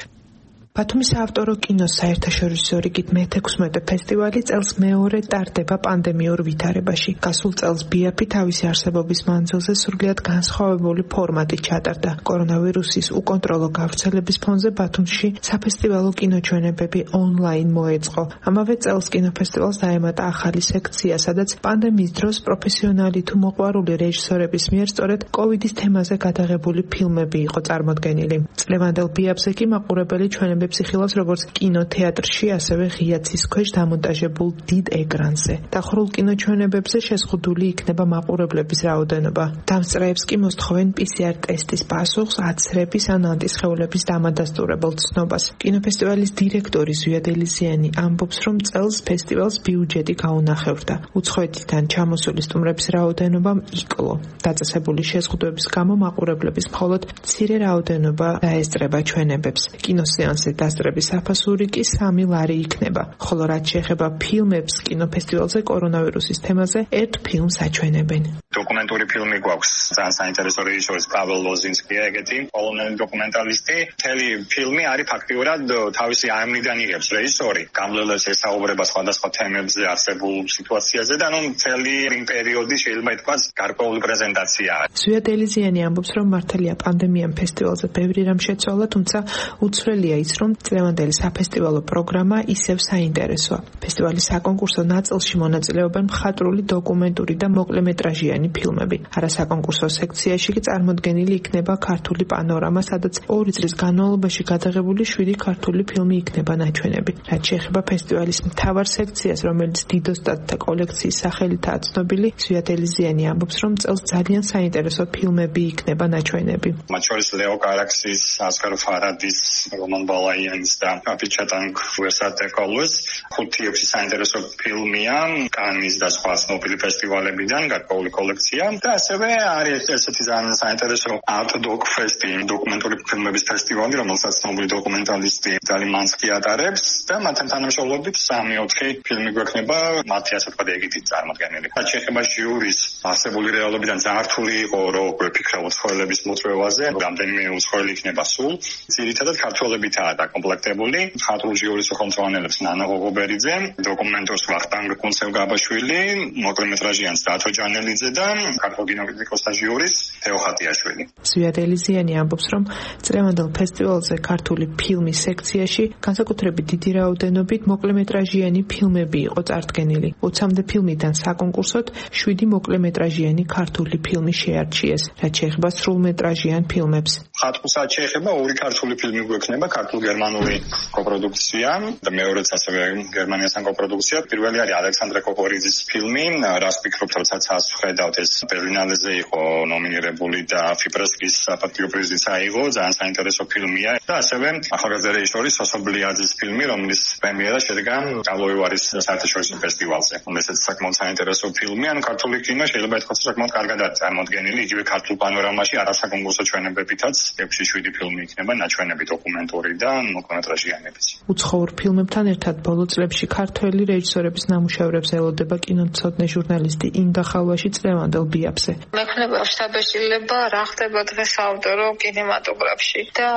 ბათუმის საავტორო კინოს საერთაშორისო რიგით მეთექვსმეტე ფესტივალი წელს მეორე ტარდება პანდემიურ ვითარებაში. გასულ წელს ბიაფი თავისი არსებობის მანძილზე სრულიად განსხვავებული ფორმატით ჩატარდა. კორონავირუსის უკონტროლო გავრცელების ფონზე ბათუმში საფესტივალო კინოჩვენებები ონლაინ მოეწყო. ამავე წელს კინოფესტივალს დაემატა ახალი სექცია, სადაც პანდემიის დროს პროფესიონალი თუ მოყვარული რეჟისორების მიერ სწორედ კოვიდის თემაზე გადაღებული ფილმები იყო წარმოდგენილი. წლევანდელ ბიაფზე კი მაყურებელი ჩვენები ჟღერადობებს იხილავს როგორც კინოთეატრში, ასევე ღია ცის ქვეშ დამონტაჟებულ დიდ ეკრანზე. დახურულ კინოჩვენებებზე შეზღუდული იქნება მაყურებლების რაოდენობა. დამსწრეებს კი მოსთხოვენ პი სი არ ტესტის პასუხს, აცრების ან ანტისხეულების დამადასტურებელ ცნობას. კინოფესტივალის დირექტორი ზვიად ელიზიანი ამბობს, რომ წელს ფესტივალს ბიუჯეტი გაუნახევრდა. უცხოეთიდან ჩამოსული სტუმრების რაოდენობამ იკლო. დაწესებული შეზღუდვების გამო მაყურებლების მხოლოდ მცირე რაოდენობა დაესწრება ჩვენებებს. კინოსეანსზე დასწრების საფასური კი სამი ლარი იქნება. ხოლო რაც შეეხება ფილმებს, კინოფესტივალზე კორონავირუსის თემაზე ერთ ფილმს აჩვენებენ. დოკუმენტური ფილმი გვაქვს ძალიან საინტერესო რეჟისორის პაվել ლოზინსკია ეგეთი პოლონელი დოკუმენტალისტი. მთელი ფილმი არის ფაქტიურად თავისი აიმნიდან იღებს რეჟისორი. გამლელებს ესაუბრება სხვადასხვა თემებზე, არსებულ სიტუაციაზე და ნუ მთელი იმ პერიოდი შეიძლება ითქვას გარკვეული პრეზენტაციაა. ზვიად ელიზიანი ამბობს, რომ მართალია პანდემიამ ფესტივალზე ბევრი რამ შეცვალა, თუმცა უცვლელია ის, რომ წლევანდელი საფესტივალო პროგრამა ისევ საინტერესოა. ფესტივალის საკონკურსო ნაწილში მონაწილეობენ მხატვრული, დოკუმენტური და მოკლემეტრაჟიანი ფილმები. არასაკონკურსო სექციაში კი წარმოდგენილი იქნება ქართული პანორამა, სადაც ორი წლის განმავლობაში გადაღებული შვიდი ქართული ფილმი იქნება ნაჩვენები. რაც შეეხება ფესტივალის მთავარ სექციას, რომელიც დიდოსტატთა კოლექციის სახელითაა ცნობილი, ზვიად ელიზიანი ამბობს, რომ წელს ძალიან საინტერესო ფილმები იქნება ნაჩვენები. მათ შორის ლეო კარაქსის, ასკარ ფარადის, რომან ბალაიანის და აპიჩატანგ ვერსატეკოლოს ხუთი ექვსი საინტერესო ფილმია კანის და სხვა ცნობილი ფესტივალებიდან გარკვეული კოლექცია და ასევე არის ესეთი ძალიან საინტერესო art doc fest, დოკუმენტური ფილმების ფესტივალი, რომელსაც ცნობილი დოკუმენტალისტი ძალიმანსკი ატარებს და მათთან თანამშრომლობით სამი ოთხი ფილმი გვექნება მათი ასე ვთქვათ ეგითით წარმოდგენილი. რაც შეეხება ჟიურის არსებული რეალობიდან ძალიან რთული იყო რომ გვეფიქრა უცხოელების მოწვევაზე, რამდენიმე უცხოელი იქნება სულ. ძირითადად ქართველებითაა დაკომპლექტებული. მხატვრულ ჟიურის ხელმძღვანელებს ნანა ღოღობერიძე, დოკუმენტურს ვახტანგ კუნცევ-გაბაშვილი, მოკლემეტრაჟიანს დათო ჯანელიძე და ქართულ კინოკრიტიკოსთა ჟიურის თეო ხატიაშვილი. ზვიად ელიზიანი ამბობს, რომ წლევანდელ ფესტივალზე ქართული ფილმის სექციაში განსაკუთრებით დიდი რაოდენობით მოკლემეტრაჟიანი ფილმები იყო წარდგენილი. ოცამდე ფილმიდან საკონკურსოდ შვიდი მოკლემეტრაჟიანი ქართული ფილმი შეარჩიეს, რაც შეეხება სრულმეტრაჟიან ფილმებს. ხატვასაც შეეხება ორი ქართული ფილმი გვექნება, ქართულ-გერმანული კოპროდუქცია და მეორეც ასევე გერმანიასთან კოპროდუქცია. პირველი არის ალექსანდრე კოკორიძის ფილმი, რას ფიქრობთ, როდესაც ხედავთ ეს ბერლინალეზე იყო ნომინირებული და ფიპრესკის საპატიო პრიზიც აიღო, ძალიან საინტერესო ფილმია და ასევე ახალგაზრდა რეჟისორის სოსო ბლიაძის ფილმი, რომლის პრემიერა შედგა კალოევარის საერთაშორისო ფესტივალზე. ესეც საკმაოდ საინტერესო ფილმი, ანუ ქართული კინო შეიძლება ითქვას საკმაოდ კარგადაა წარმოდგენილი, იგივე ქართულ პანორამაში არასაკონკურსო ჩვენებებითაც ექვსი შვიდი ფილმი იქნება ნაჩვენები დოკუმენტური და მოკლემეტრაჟიანებიც. უცხოურ ფილმებთან ერთად ბოლო წლებში ქართველი რეჟისორების ნამუშევრებს ელოდება კინომცოდნე ჟურნალისტი ინგა ხალვაში წლევანდელ ბიაფზე. მექნება შთაბეჭდილება რა ხდება დღეს საავტორო კინემატოგრაფში და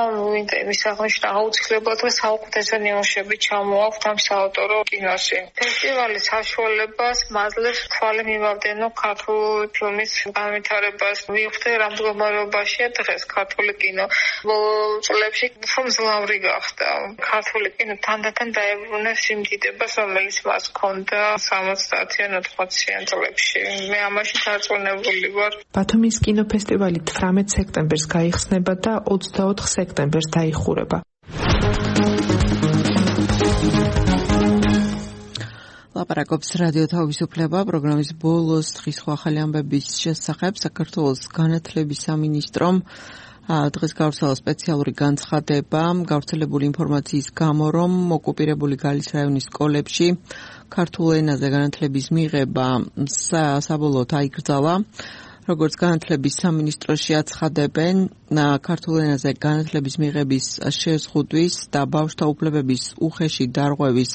ის აღნიშნა აუცილებლად დღეს საუკეთესო ნიმუშები ჩამოაქვთ ამ საავტორო კინოში. ფესტივალის საშუალებას მაძლევს თვალი მივავდენო ქართული ფილმის განვითარებას. ვიხდე რა მდგომარეობაშია დღეს ქართული კინო. ბოლო წლებში უფრო მძლავრი გახდა. ქართული კინო თანდათან დაებრუნეს იმ დიდებას, რომელიც მას ჰქონდა სამოცდაათიან ოთხმოციან წლებში. მე ამაში დარწმუნებული ვარ. ბათუმის კინოფესტივალი თვრამეტ სექტემბერს გაიხსნება და ოცდაოთხ სექტემბერს დაიხურება. ლაპარაკობს რადიო თავისუფლება პროგრამის ბოლოს დღის ახალი ამბების შესახებ. საქართველოს განათლების სამინისტრომ დღეს გავრცელა სპეციალური განცხადება გავრცელებული ინფორმაციის გამო, რომ ოკუპირებული გალის რაიონის სკოლებში ქართულ ენაზე განათლების მიღება საბოლოოდ აიკრძალა. როგორც განათლების სამინისტროში აცხადებენ, ქართულ ენაზე განათლების მიღების შეზღუდვის და ბავშვთა უფლებების უხეში დარღვევის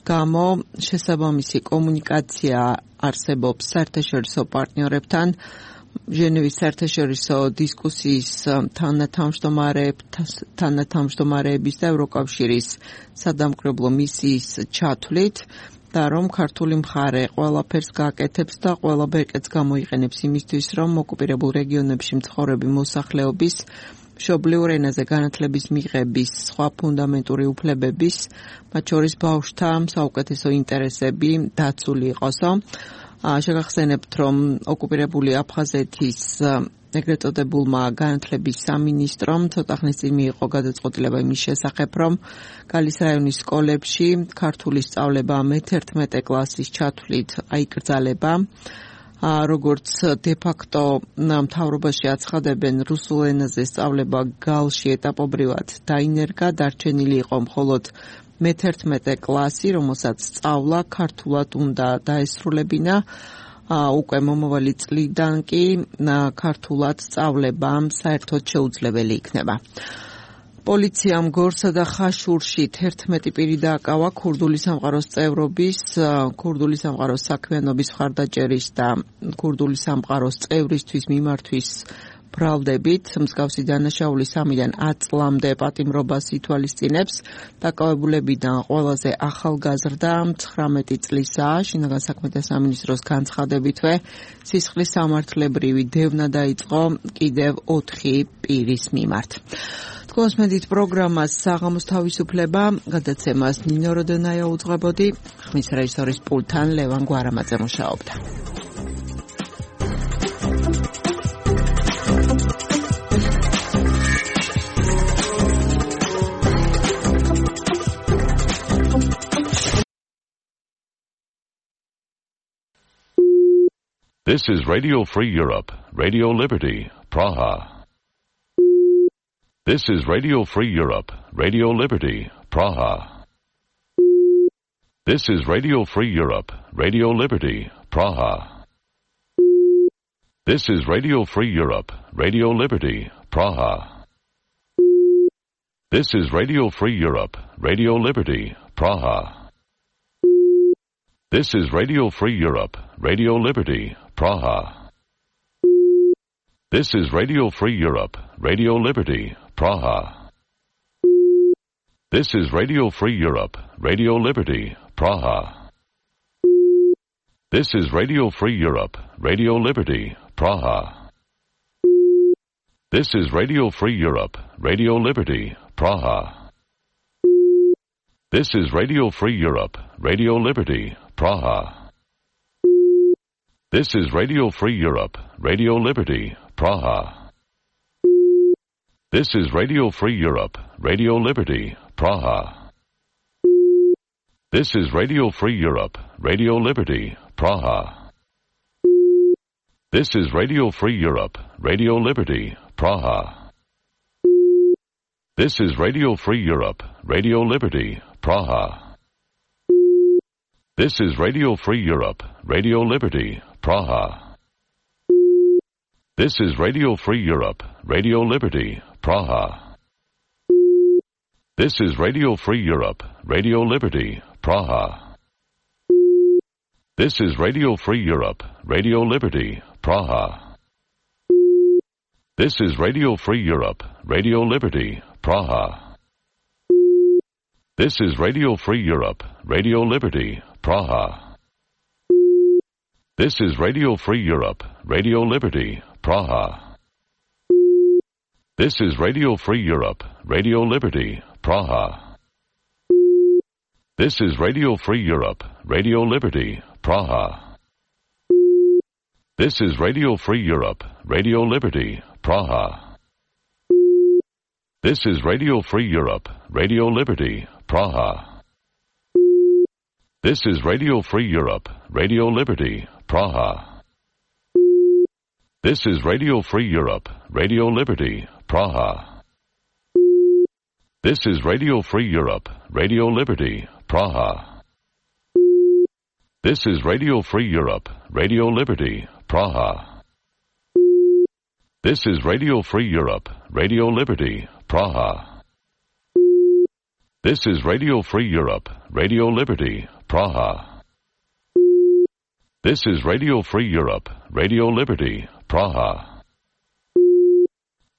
გამო შესაბამისი კომუნიკაცია არსებობს საერთაშორისო პარტნიორებთან. ჟენევის საერთაშორისო დისკუსიის თანათავმჯდომარეების და ევროკავშირის სადამკვირვებლო მისიის ჩათვლით და რომ ქართული მხარე ყველაფერს გააკეთებს და ყველა ბერკეტს გამოიყენებს იმისთვის, რომ ოკუპირებულ რეგიონებში მცხოვრები მოსახლეობის მშობლიურ ენაზე განათლების მიღების სხვა ფუნდამენტური უფლებების, მათ შორის ბავშვთა საუკეთესო ინტერესები დაცული იყოსო. შეგახსენებთ, რომ ოკუპირებული აფხაზეთის ეგრეთ წოდებულმა განათლების სამინისტრომ ცოტა ხნის წინ მიიღო გადაწყვეტილება იმის შესახებ, რომ გალის რაიონის სკოლებში ქართული სწავლება მეთერთმეტე კლასის ჩათვლით აიკრძალება. როგორც დე-ფაქტო მთავრობაში აცხადებენ, რუსულ ენაზე სწავლება გალში ეტაპობრივად დაინერგა, დარჩენილი იყო მხოლოდ მეთერთმეტე კლასი, რომელსაც სწავლა ქართულად უნდა დაესრულებინა. უკვე მომავალი წლიდან კი ქართულად სწავლება საერთოდ შეუძლებელი იქნება. პოლიციამ გორსა და ხაშურში თერთმეტი პირი დააკავა ქურდული სამყაროს წევრობის, ქურდული სამყაროს საქმიანობის მხარდაჭერის და ქურდული სამყაროს წევრისთვის მიმართვის ბრალდებით. მსგავსი დანაშაული სამიდან ათ წლამდე პატიმრობას ითვალისწინებს. დაკავებულებიდან ყველაზე ახალგაზრდა ცხრამეტი წლისაა. შინაგან საქმეთა სამინისტროს განცხადებითვე სისხლის სამართლებრივი დევნა დაიწყო კიდევ ოთხი პირის მიმართ. თქვენს მედით პროგრამას საღამოს თავისუფლება გადაცემას ნინო როდენაია უძღვებოდი, ხმის რეჟისორის პულტთან ლევან გვარამაძე მუშაობდა. This is Radio Free Europe, Radio Liberty, Praha. This is Radio Free Europe, Radio Liberty, Praha. This is Radio Free Europe, Radio Liberty, Praha. This is Radio Free Europe, Radio Liberty, Praha. This is Radio Free Europe, Radio Liberty, Praha. This is Radio Free Europe, Radio Liberty, Praha. This is Radio Free Europe, Radio Liberty, Praha. This is Radio Free Europe, Radio Liberty, Praha. This is Radio Free Europe, Radio Liberty, Praha. This is Radio Free Europe, Radio Liberty, Praha. This is Radio Free Europe, Radio Liberty, Praha. This is Radio Free Europe, Radio Liberty, Praha. This is Radio Free Europe, Radio Liberty, Praha. This is Radio Free Europe, Radio Liberty, Praha. This is Radio Free Europe, Radio Liberty, Praha. This is Radio Free Europe, Radio Liberty, Praha. This is Radio Free Europe, Radio Liberty, Praha. This is Radio Free Europe, Radio Liberty, Praha. This is Radio Free Europe, Radio Liberty, Praha. This is Radio Free Europe, Radio Liberty, Praha. This is Radio Free Europe, Radio Liberty, Praha. This is Radio Free Europe, Radio Liberty, Praha. This is Radio Free Europe, Radio Liberty, Praha. This is Radio Free Europe, Radio Liberty, Praha. This is Radio Free Europe, Radio Liberty, Praha. This is Radio Free Europe, Radio Liberty, Praha. This is Radio Free Europe, Radio Liberty, Praha. This is Radio Free Europe, Radio Liberty, Praha. This is Radio Free Europe, Radio Liberty, Praha. This is Radio Free Europe, Radio Liberty, Praha. This is Radio Free Europe, Radio Liberty, Praha. This is Radio Free Europe, Radio Liberty, Praha. This is Radio Free Europe, Radio Liberty, Praha. This is Radio Free Europe, Radio Liberty, Praha.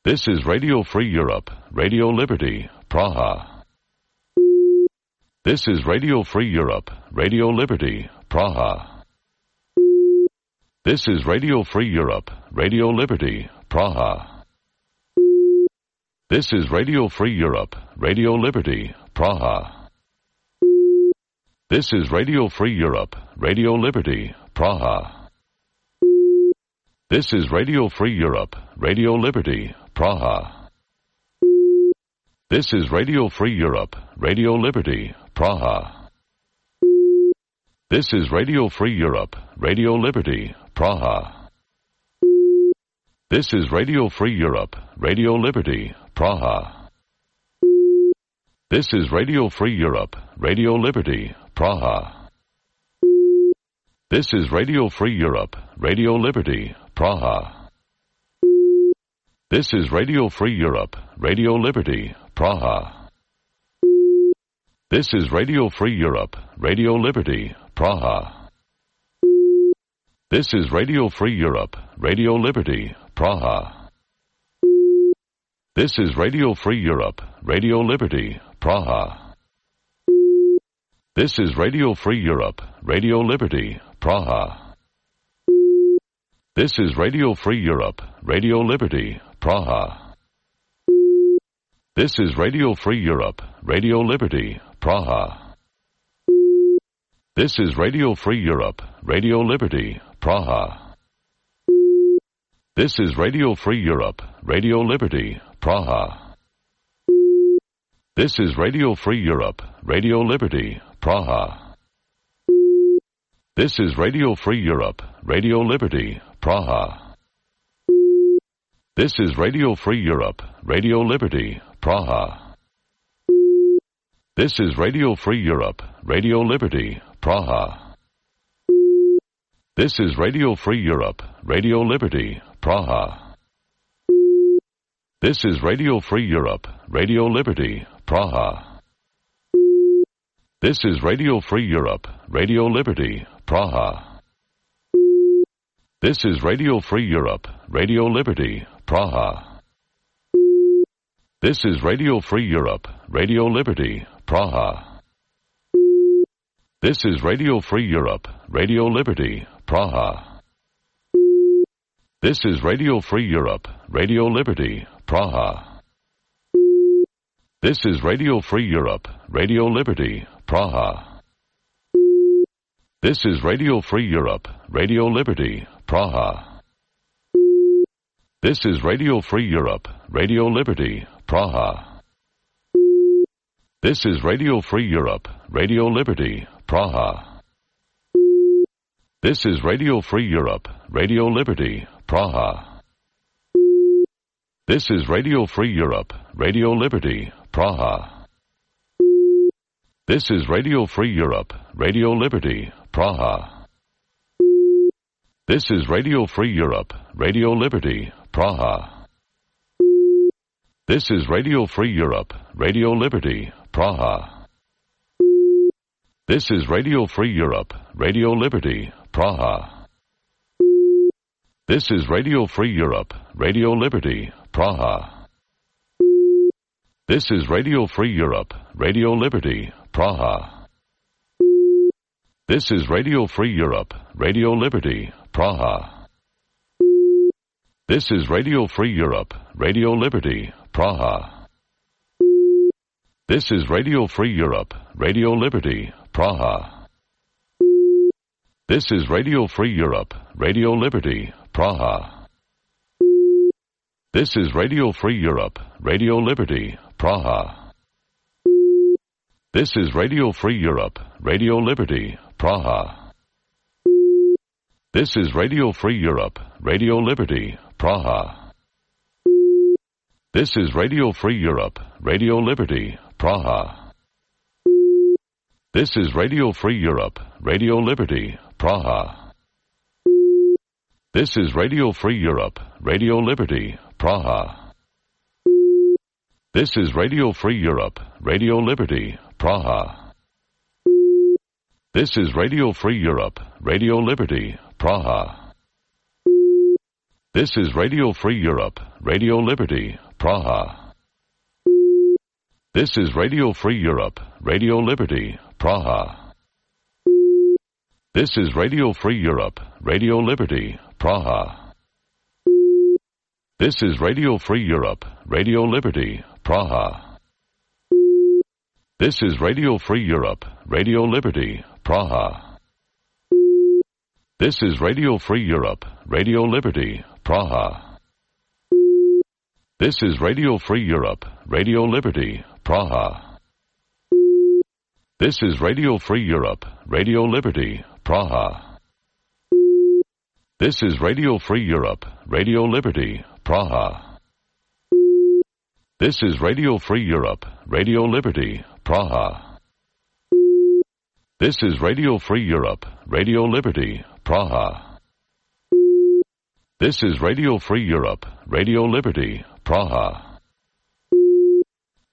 This is Radio Free Europe, Radio Liberty, Praha. This is Radio Free Europe, Radio Liberty, Praha. This is Radio Free Europe, Radio Liberty, Praha. This is Radio Free Europe, Radio Liberty, Praha. This is Radio Free Europe, Radio Liberty, Praha. This is Radio Free Europe, Radio Liberty, Praha. This is Radio Free Europe, Radio Liberty, Praha. This is Radio Free Europe, Radio Liberty, Praha. This is Radio Free Europe, Radio Liberty, Praha. This is Radio Free Europe, Radio Liberty, Praha. This is Radio Free Europe, Radio Liberty, Praha. This is Radio Free Europe, Radio Liberty, Praha. This is Radio Free Europe, Radio Liberty, Praha. This is Radio Free Europe, Radio Liberty, Praha. This is Radio Free Europe, Radio Liberty, Praha. This is Radio Free Europe, Radio Liberty, Praha. This is Radio Free Europe, Radio Liberty, Praha. This is Radio Free Europe, Radio Liberty, Praha. This is Radio Free Europe, Radio Liberty, Praha. This is Radio Free Europe, Radio Liberty, Praha. This is Radio Free Europe, Radio Liberty, Praha. This is Radio Free Europe, Radio Liberty, Praha. This is Radio Free Europe, Radio Liberty, Praha. This is Radio Free Europe, Radio Liberty, Praha. This is Radio Free Europe, Radio Liberty, Praha. This is Radio Free Europe, Radio Liberty, Praha. This is Radio Free Europe, Radio Liberty, Praha. This is Radio Free Europe, Radio Liberty, Praha. This is Radio Free Europe, Radio Liberty, Praha. This is Radio Free Europe, Radio Liberty, Praha. This is Radio Free Europe, Radio Liberty, Praha. This is Radio Free Europe, Radio Liberty, Praha. This is Radio Free Europe, Radio Liberty, Praha. This is Radio Free Europe, Radio Liberty, Praha. This is Radio Free Europe, Radio Liberty, Praha. This is Radio Free Europe, Radio Liberty, Praha. This is Radio Free Europe, Radio Liberty, Praha. This is Radio Free Europe, Radio Liberty, Praha. This is Radio Free Europe, Radio Liberty, Praha. This is Radio Free Europe, Radio Liberty, Praha. This is Radio Free Europe, Radio Liberty, Praha. This is Radio Free Europe, Radio Liberty, Praha. This is Radio Free Europe, Radio Liberty, Praha. This is Radio Free Europe, Radio Liberty, Praha. This is Radio Free Europe, Radio Liberty, Praha. This is Radio Free Europe, Radio Liberty, Praha. This is Radio Free Europe, Radio Liberty, Praha. This is Radio Free Europe, Radio Liberty, Praha. This is Radio Free Europe, Radio Liberty, Praha. This is Radio Free Europe, Radio Liberty, Praha. This is Radio Free Europe, Radio Liberty, Praha. This is Radio Free Europe, Radio Liberty, Praha. This is Radio Free Europe, Radio Liberty, Praha. This is Radio Free Europe, Radio Liberty, Praha. This is Radio Free Europe, Radio Liberty, Praha. This is Radio Free Europe, Radio Liberty, Praha. This is Radio Free Europe, Radio Liberty, Praha. This is Radio Free Europe, Radio Liberty, Praha. This is Radio Free Europe, Radio Liberty, Praha. This is Radio Free Europe, Radio Liberty, Praha. This is Radio Free Europe, Radio Liberty, Praha. This is Radio Free Europe, Radio Liberty, Praha. This is Radio Free Europe, Radio Liberty, Praha. This is Radio Free Europe, Radio Liberty, Praha. This is Radio Free Europe, Radio Liberty, Praha. This is Radio Free Europe, Radio Liberty, Praha. This is Radio Free Europe, Radio Liberty, Praha.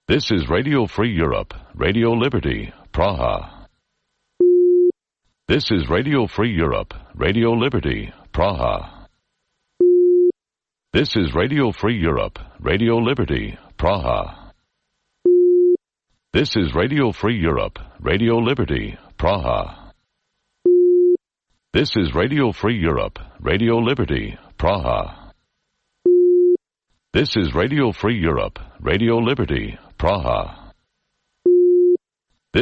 This is Radio Free Europe, Radio Liberty, Praha. This is Radio Free Europe, Radio Liberty, Praha. This is Radio Free Europe, Radio Liberty, Praha. This is Radio Free Europe, Radio Liberty, Praha. This is Radio Free Europe, Radio Liberty, Praha. This is Radio Free Europe, Radio Liberty, Praha.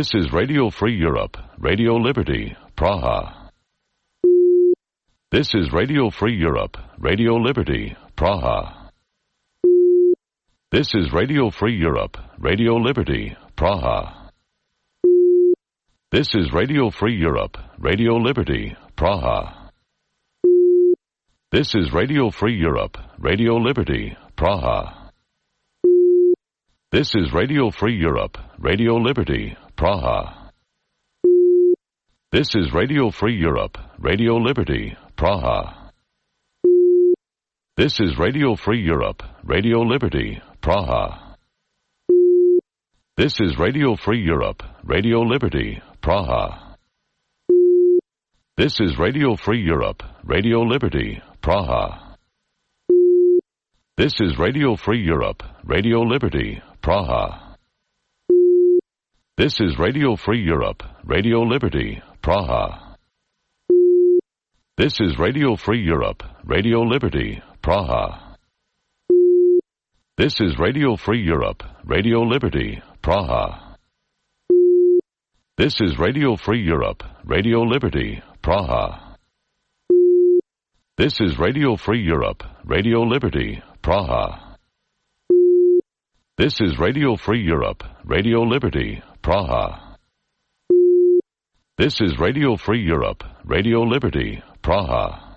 This is Radio Free Europe, Radio Liberty, Praha. This is Radio Free Europe, Radio Liberty, Praha. This is Radio Free Europe, Radio Liberty, Praha. This is Radio Free Europe, Radio Liberty, Praha. This is Radio Free Europe, Radio Liberty, Praha. This is Radio Free Europe, Radio Liberty, Praha. This is Radio Free Europe, Radio Liberty, Praha. This is Radio Free Europe, Radio Liberty, Praha. This is Radio Free Europe, Radio Liberty, Praha. This is Radio Free Europe, Radio Liberty, Praha. This is Radio Free Europe, Radio Liberty, Praha. This is Radio Free Europe, Radio Liberty, Praha. This is Radio Free Europe, Radio Liberty, Praha. This is Radio Free Europe, Radio Liberty, Praha. This is Radio Free Europe, Radio Liberty, Praha. This is Radio Free Europe, Radio Liberty, Praha. This is Radio Free Europe, Radio Liberty, Praha.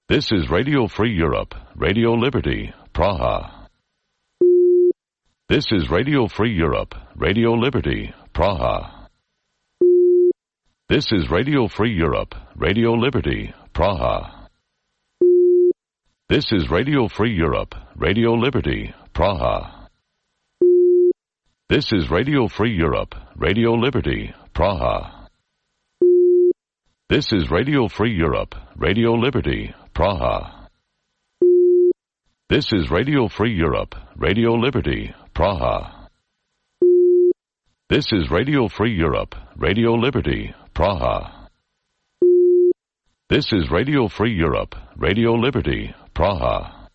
This is Radio Free Europe, Radio Liberty, Praha. This is Radio Free Europe, Radio Liberty, Praha. This is Radio Free Europe, Radio Liberty, Praha. This is Radio Free Europe, Radio Liberty, Praha. This is Radio Free Europe, Radio Liberty, Praha. This is Radio Free Europe, Radio Liberty, Praha. This is Radio Free Europe, Radio Liberty, Praha. This is Radio Free Europe, Radio Liberty, Praha. This is Radio Free Europe, Radio Liberty, Praha. This is Radio Free Europe, Radio Liberty, Praha.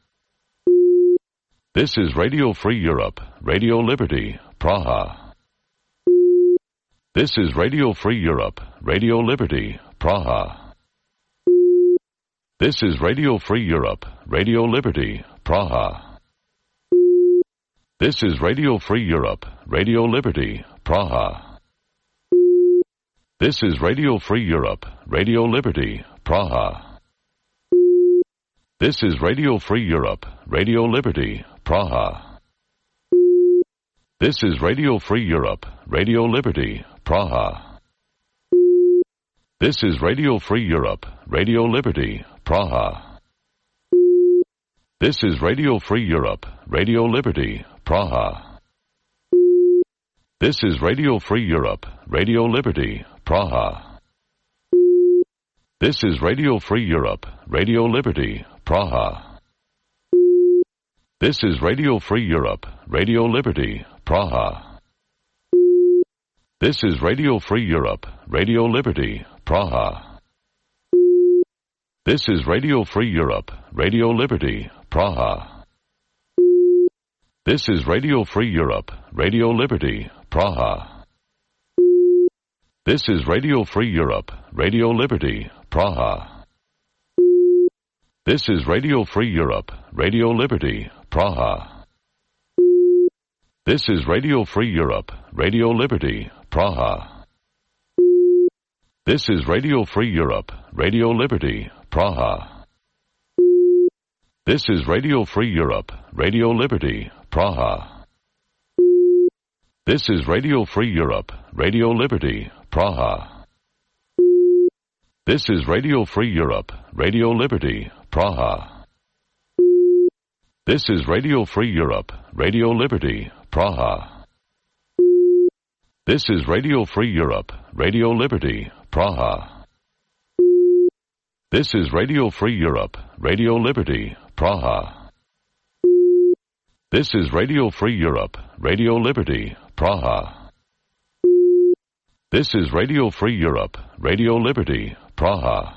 This is Radio Free Europe, Radio Liberty, Praha. This is Radio Free Europe, Radio Liberty, Praha. This is Radio Free Europe, Radio Liberty, Praha. This is Radio Free Europe, Radio Liberty, Praha. This is Radio Free Europe, Radio Liberty, Praha. This is Radio Free Europe, Radio Liberty, Praha. This is Radio Free Europe, Radio Liberty, Praha. This is Radio Free Europe, Radio Liberty, Praha. This is Radio Free Europe, Radio Liberty, Praha. This is Radio Free Europe, Radio Liberty, Praha. This is Radio Free Europe, Radio Liberty, Praha. This is Radio Free Europe, Radio Liberty, Praha. This is Radio Free Europe, Radio Liberty, Praha. This is Radio Free Europe, Radio Liberty, Praha. This is Radio Free Europe, Radio Liberty, Praha. This is Radio Free Europe, Radio Liberty, Praha. This is Radio Free Europe, Radio Liberty, Praha. This is Radio Free Europe, Radio Liberty, Praha. This is Radio Free Europe, Radio Liberty, Praha. This is Radio Free Europe, Radio Liberty, Praha. This is Radio Free Europe, Radio Liberty, Praha. This is Radio Free Europe, Radio Liberty, Praha. This is Radio Free Europe, Radio Liberty, Praha. This is Radio Free Europe, Radio Liberty, Praha. This is Radio Free Europe, Radio Liberty, Praha. This is Radio Free Europe, Radio Liberty, Praha. This is Radio Free Europe, Radio Liberty, Praha.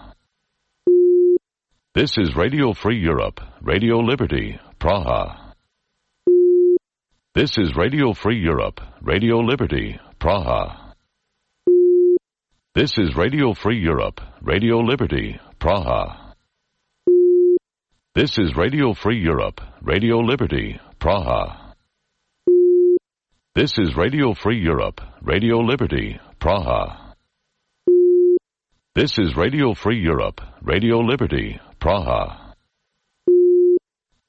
This is Radio Free Europe, Radio Liberty, Praha. This is Radio Free Europe, Radio Liberty, Praha. This is Radio Free Europe, Radio Liberty, Praha. This is Radio Free Europe, Radio Liberty, Praha. This is Radio Free Europe, Radio Liberty, Praha. This is Radio Free Europe, Radio Liberty, Praha.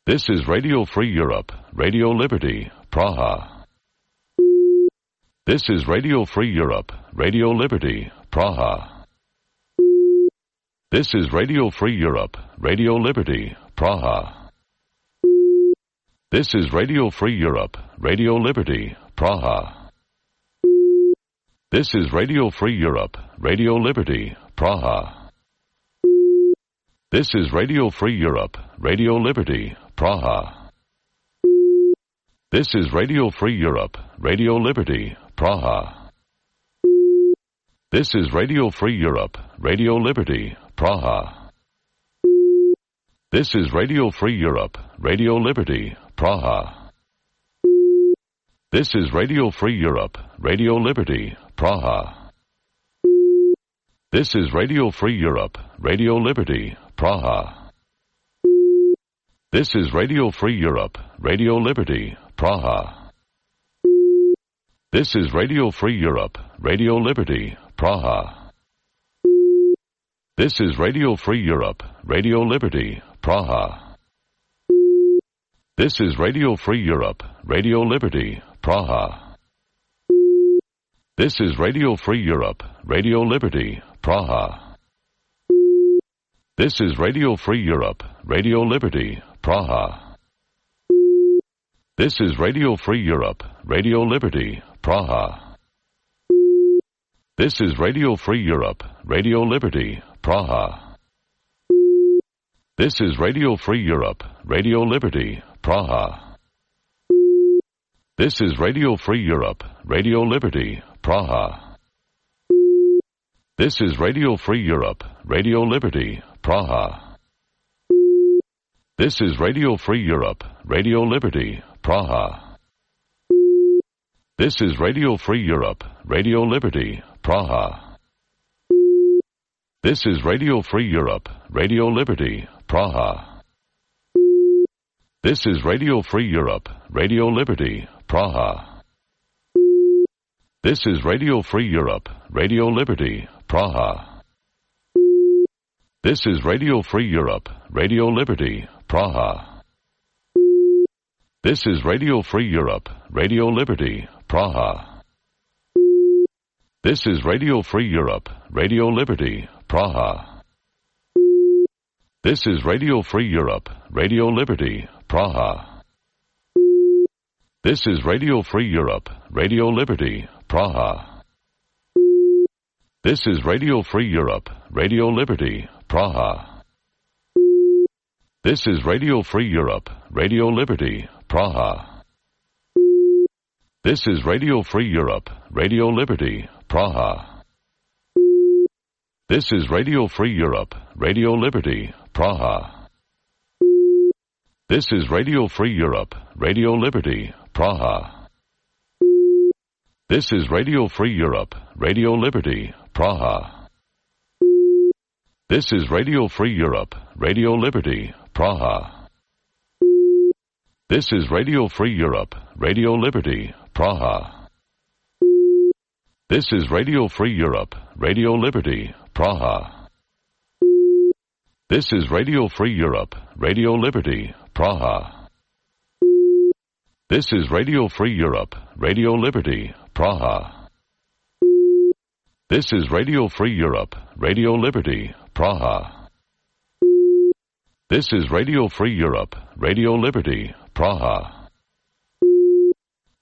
This is Radio Free Europe, Radio Liberty, Praha. This is Radio Free Europe, Radio Liberty, Praha. This is Radio Free Europe, Radio Liberty, Praha. This is Radio Free Europe, Radio Liberty, Praha. This is Radio Free Europe, Radio Liberty, Praha. This is Radio Free Europe, Radio Liberty, Praha. This is Radio Free Europe, Radio Liberty, Praha. This is Radio Free Europe, Radio Liberty, Praha. This is Radio Free Europe, Radio Liberty, Praha. This is Radio Free Europe, Radio Liberty, Praha. This is Radio Free Europe, Radio Liberty, Praha. This is Radio Free Europe, Radio Liberty, Praha. This is Radio Free Europe, Radio Liberty, Praha. This is Radio Free Europe, Radio Liberty, Praha. This is Radio Free Europe, Radio Liberty, Praha. This is Radio Free Europe, Radio Liberty, Praha. This is Radio Free Europe, Radio Liberty, Praha. This is Radio Free Europe, Radio Liberty, Praha. This is Radio Free Europe, Radio Liberty, Praha. This is Radio Free Europe, Radio Liberty, Praha. This is Radio Free Europe, Radio Liberty, Praha. This is Radio Free Europe, Radio Liberty, Praha. This is Radio Free Europe, Radio Liberty, Praha. This is Radio Free Europe, Radio Liberty, Praha. This is Radio Free Europe, Radio Liberty, Praha. This is Radio Free Europe, Radio Liberty, Praha. This is Radio Free Europe, Radio Liberty, Praha. This is Radio Free Europe, Radio Liberty, Praha. This is Radio Free Europe, Radio Liberty, Praha. This is Radio Free Europe, Radio Liberty, Praha. This is Radio Free Europe, Radio Liberty, Praha. This is Radio Free Europe, Radio Liberty, Praha. This is Radio Free Europe, Radio Liberty, Praha. This is Radio Free Europe, Radio Liberty, Praha. This is Radio Free Europe, Radio Liberty, Praha. This is Radio Free Europe, Radio Liberty, Praha. This is Radio Free Europe, Radio Liberty, Praha. This is Radio Free Europe, Radio Liberty, Praha. This is Radio Free Europe, Radio Liberty, Praha. This is Radio Free Europe, Radio Liberty, Praha. This is Radio Free Europe, Radio Liberty, Praha. This is Radio Free Europe, Radio Liberty, Praha. This is Radio Free Europe, Radio Liberty, Praha. This is Radio Free Europe, Radio Liberty, Praha. This is Radio Free Europe, Radio Liberty, Praha.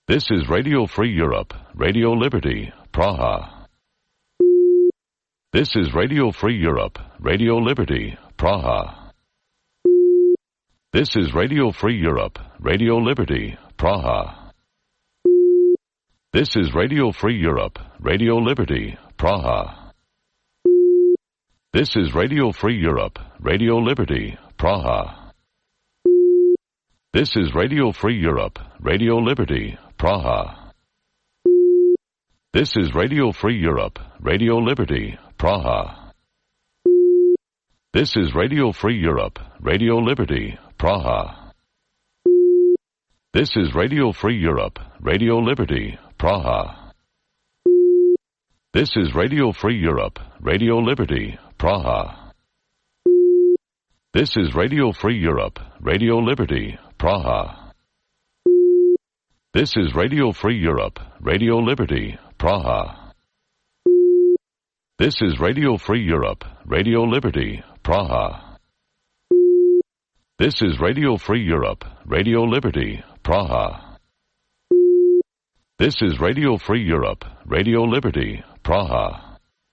This is Radio Free Europe, Radio Liberty, Praha. This is Radio Free Europe, Radio Liberty, Praha. This is Radio Free Europe, Radio Liberty, Praha. This is Radio Free Europe, Radio Liberty, Praha. This is Radio Free Europe, Radio Liberty, Praha. This is Radio Free Europe, Radio Liberty, Praha. This is Radio Free Europe, Radio Liberty, Praha. This is Radio Free Europe, Radio Liberty, Praha. This is Radio Free Europe, Radio Liberty, Praha. This is Radio Free Europe, Radio Liberty, Praha. This is Radio Free Europe, Radio Liberty, Praha. This is Radio Free Europe, Radio Liberty, Praha. This is Radio Free Europe, Radio Liberty, Praha. This is Radio Free Europe, Radio Liberty, Praha. This is Radio Free Europe, Radio Liberty, Praha.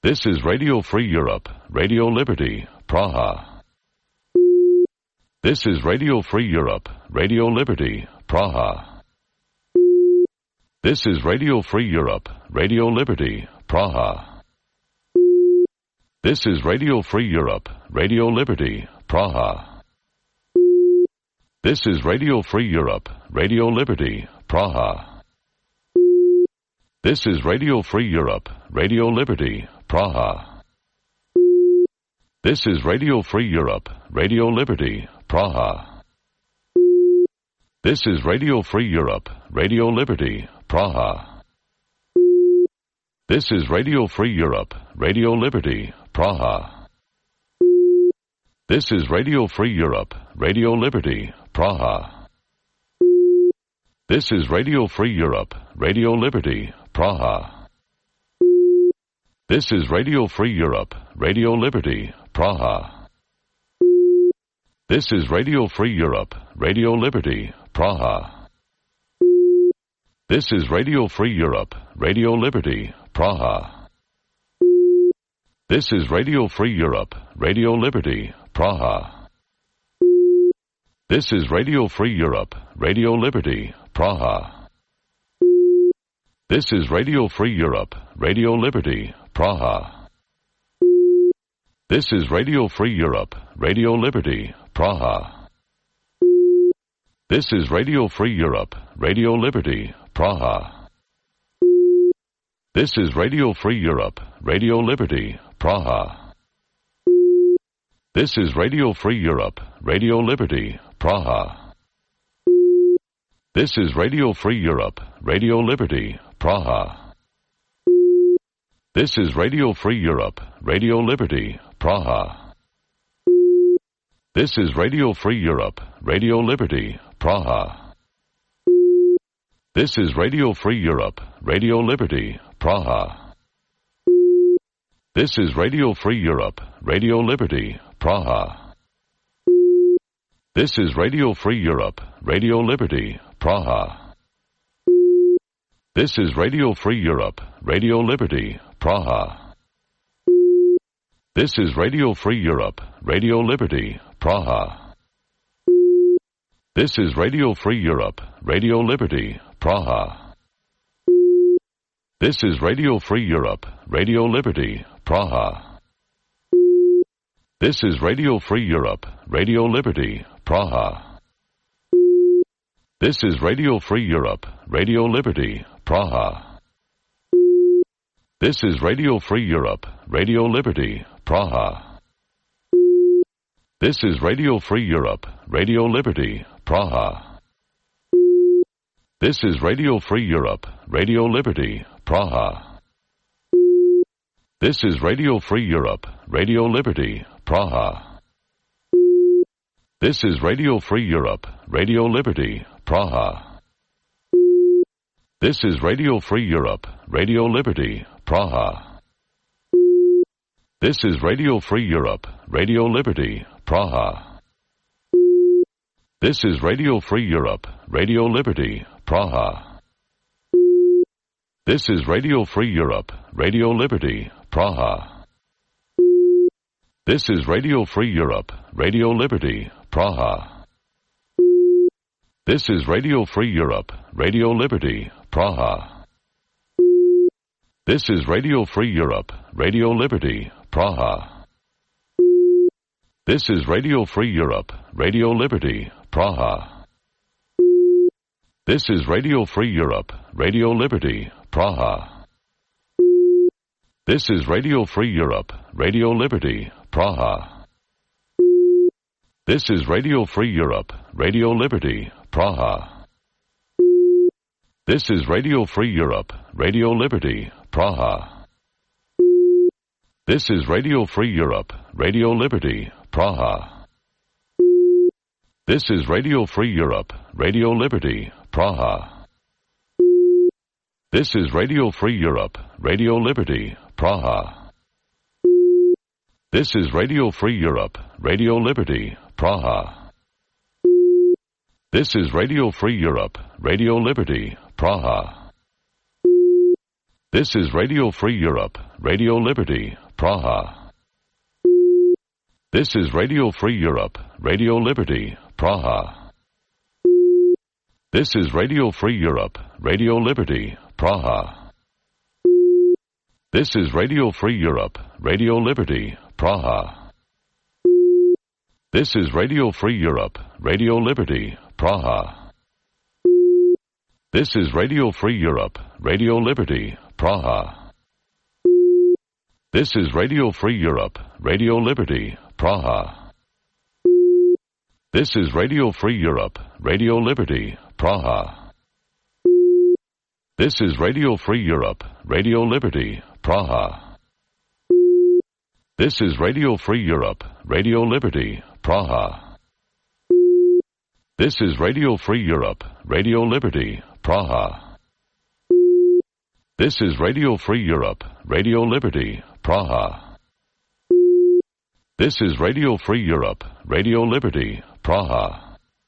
This is Radio Free Europe, Radio Liberty, Praha. This is Radio Free Europe, Radio Liberty, Praha. This is Radio Free Europe, Radio Liberty, Praha. This is Radio Free Europe, Radio Liberty, Praha. This is Radio Free Europe, Radio Liberty, Praha. This is Radio Free Europe, Radio Liberty, Praha. This is Radio Free Europe, Radio Liberty, Praha. This is Radio Free Europe, Radio Liberty, Praha. This is Radio Free Europe, Radio Liberty, Praha. This is Radio Free Europe, Radio Liberty, Praha. This is Radio Free Europe, Radio Liberty, Praha. This is Radio Free Europe, Radio Liberty, Praha. This is Radio Free Europe, Radio Liberty, Praha. This is Radio Free Europe, Radio Liberty, Praha. This is Radio Free Europe, Radio Liberty, Praha. This is Radio Free Europe, Radio Liberty, Praha. This is Radio Free Europe, Radio Liberty, Praha. This is Radio Free Europe, Radio Liberty, Praha. This is Radio Free Europe, Radio Liberty, Praha. This is Radio Free Europe, Radio Liberty, Praha. This is Radio Free Europe, Radio Liberty, Praha. This is Radio Free Europe, Radio Liberty, Praha. This is Radio Free Europe, Radio Liberty, Praha. This is Radio Free Europe, Radio Liberty, Praha. This is Radio Free Europe, Radio Liberty, Praha. This is Radio Free Europe, Radio Liberty, Praha. This is Radio Free Europe, Radio Liberty, Praha. This is Radio Free Europe, Radio Liberty, Praha. This is Radio Free Europe, Radio Liberty, Praha. This is Radio Free Europe, Radio Liberty, Praha. This is Radio Free Europe, Radio Liberty, Praha. This is Radio Free Europe, Radio Liberty, Praha. This is Radio Free Europe, Radio Liberty, Praha. This is Radio Free Europe, Radio Liberty, Praha. This is Radio Free Europe, Radio Liberty, Praha. This is Radio Free Europe, Radio Liberty, Praha. This is Radio Free Europe, Radio Liberty, Praha. This is Radio Free Europe, Radio Liberty, Praha. This is Radio Free Europe, Radio Liberty, Praha. This is Radio Free Europe, Radio Liberty, Praha. This is Radio Free Europe, Radio Liberty, Praha. This is Radio Free Europe, Radio Liberty, Praha. This is Radio Free Europe, Radio Liberty, Praha. This is Radio Free Europe, Radio Liberty, Praha. This is Radio Free Europe, Radio Liberty, Praha. This is Radio Free Europe, Radio Liberty, Praha. This is Radio Free Europe, Radio Liberty, Praha. This is Radio Free Europe, Radio Liberty, Praha. This is Radio Free Europe, Radio Liberty, Praha. This is Radio Free Europe, Radio Liberty, Praha. This is Radio Free Europe, Radio Liberty, Praha. This is Radio Free Europe, Radio Liberty, Praha. This is Radio Free Europe, Radio Liberty, Praha. This is Radio Free Europe, Radio Liberty, Praha. This is Radio Free Europe, Radio Liberty, Praha. This is Radio Free Europe, Radio Liberty, Praha. This is Radio Free Europe, Radio Liberty, Praha. This is Radio Free Europe, Radio Liberty, Praha. This is Radio Free Europe, Radio Liberty, Praha. This is Radio Free Europe, Radio Liberty, Praha. This is Radio Free Europe, Radio Liberty, Praha. This is Radio Free Europe, Radio Liberty, Praha. This is Radio Free Europe, Radio Liberty, Praha. This is Radio Free Europe, Radio Liberty, Praha. This is Radio Free Europe, Radio Liberty, Praha. This is Radio Free Europe, Radio Liberty, Praha. This is Radio Free Europe, Radio Liberty, Praha. This is Radio Free Europe, Radio Liberty, Praha.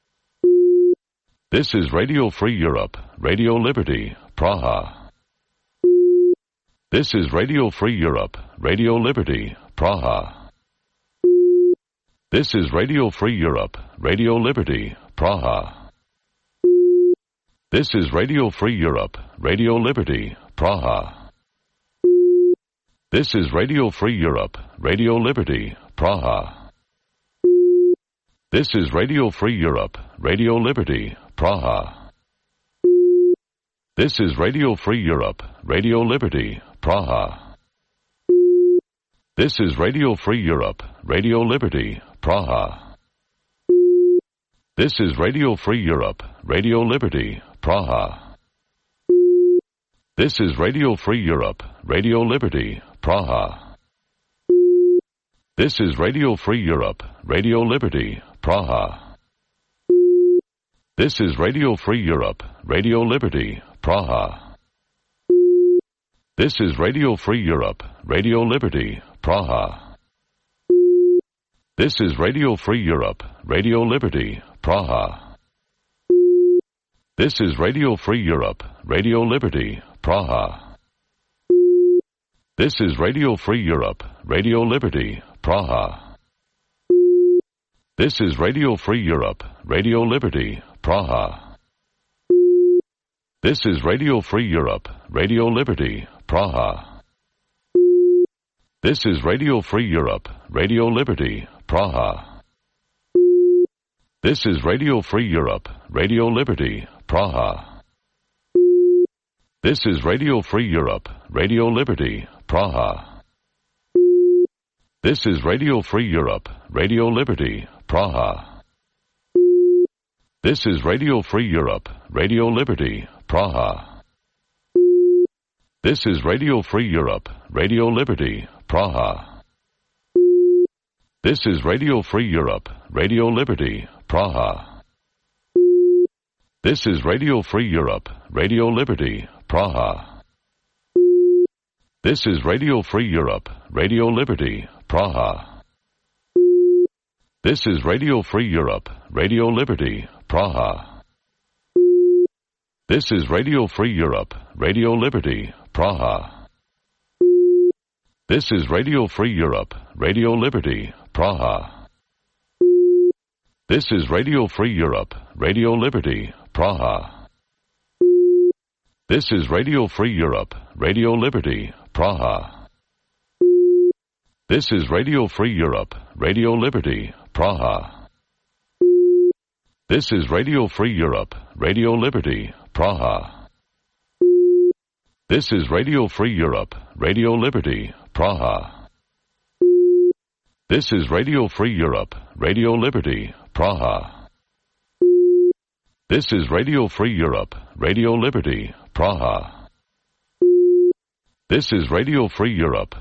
This is Radio Free Europe, Radio Liberty, Praha. This is Radio Free Europe, Radio Liberty, Praha. This is Radio Free Europe, Radio Liberty, Praha. This is Radio Free Europe, Radio Liberty, Praha. This is Radio Free Europe, Radio Liberty, Praha. This is Radio Free Europe, Radio Liberty, Praha. This is Radio Free Europe, Radio Liberty, Praha. This is Radio Free Europe, Radio Liberty, Praha. This is Radio Free Europe, Radio Liberty, Praha. This is Radio Free Europe, Radio Liberty, Praha. This is Radio Free Europe, Radio Liberty, Praha. This is Radio Free Europe, Radio Liberty, Praha. This is Radio Free Europe, Radio Liberty, Praha. This is Radio Free Europe, Radio Liberty, Praha. This is Radio Free Europe, Radio Liberty, Praha. This is Radio Free Europe, Radio Liberty, Praha. This is Radio Free Europe, Radio Liberty, Praha. This is Radio Free Europe, Radio Liberty, Praha. This is Radio Free Europe, Radio Liberty, Praha. This is Radio Free Europe, Radio Liberty, Praha. This is Radio Free Europe, Radio Liberty, Praha. This is Radio Free Europe, Radio Liberty, Praha. This is Radio Free Europe, Radio Liberty, Praha. This is Radio Free Europe, Radio Liberty, Praha. This is Radio Free Europe, Radio Liberty, Praha. This is Radio Free Europe, Radio Liberty, Praha. This is Radio Free Europe, Radio Liberty, Praha. This is Radio Free Europe, Radio Liberty, Praha. This is Radio Free Europe, Radio Liberty, Praha. This is Radio Free Europe, Radio Liberty, Praha. This is Radio Free Europe, Radio Liberty, Praha. This is Radio Free Europe, Radio Liberty, Praha. This is Radio Free Europe, Radio Liberty, Praha. This is Radio Free Europe, Radio Liberty, Praha. This is Radio Free Europe, Radio Liberty, Praha. This is Radio Free Europe, Radio Liberty, Praha. This is Radio Free Europe, Radio Liberty, Praha. This is Radio Free Europe,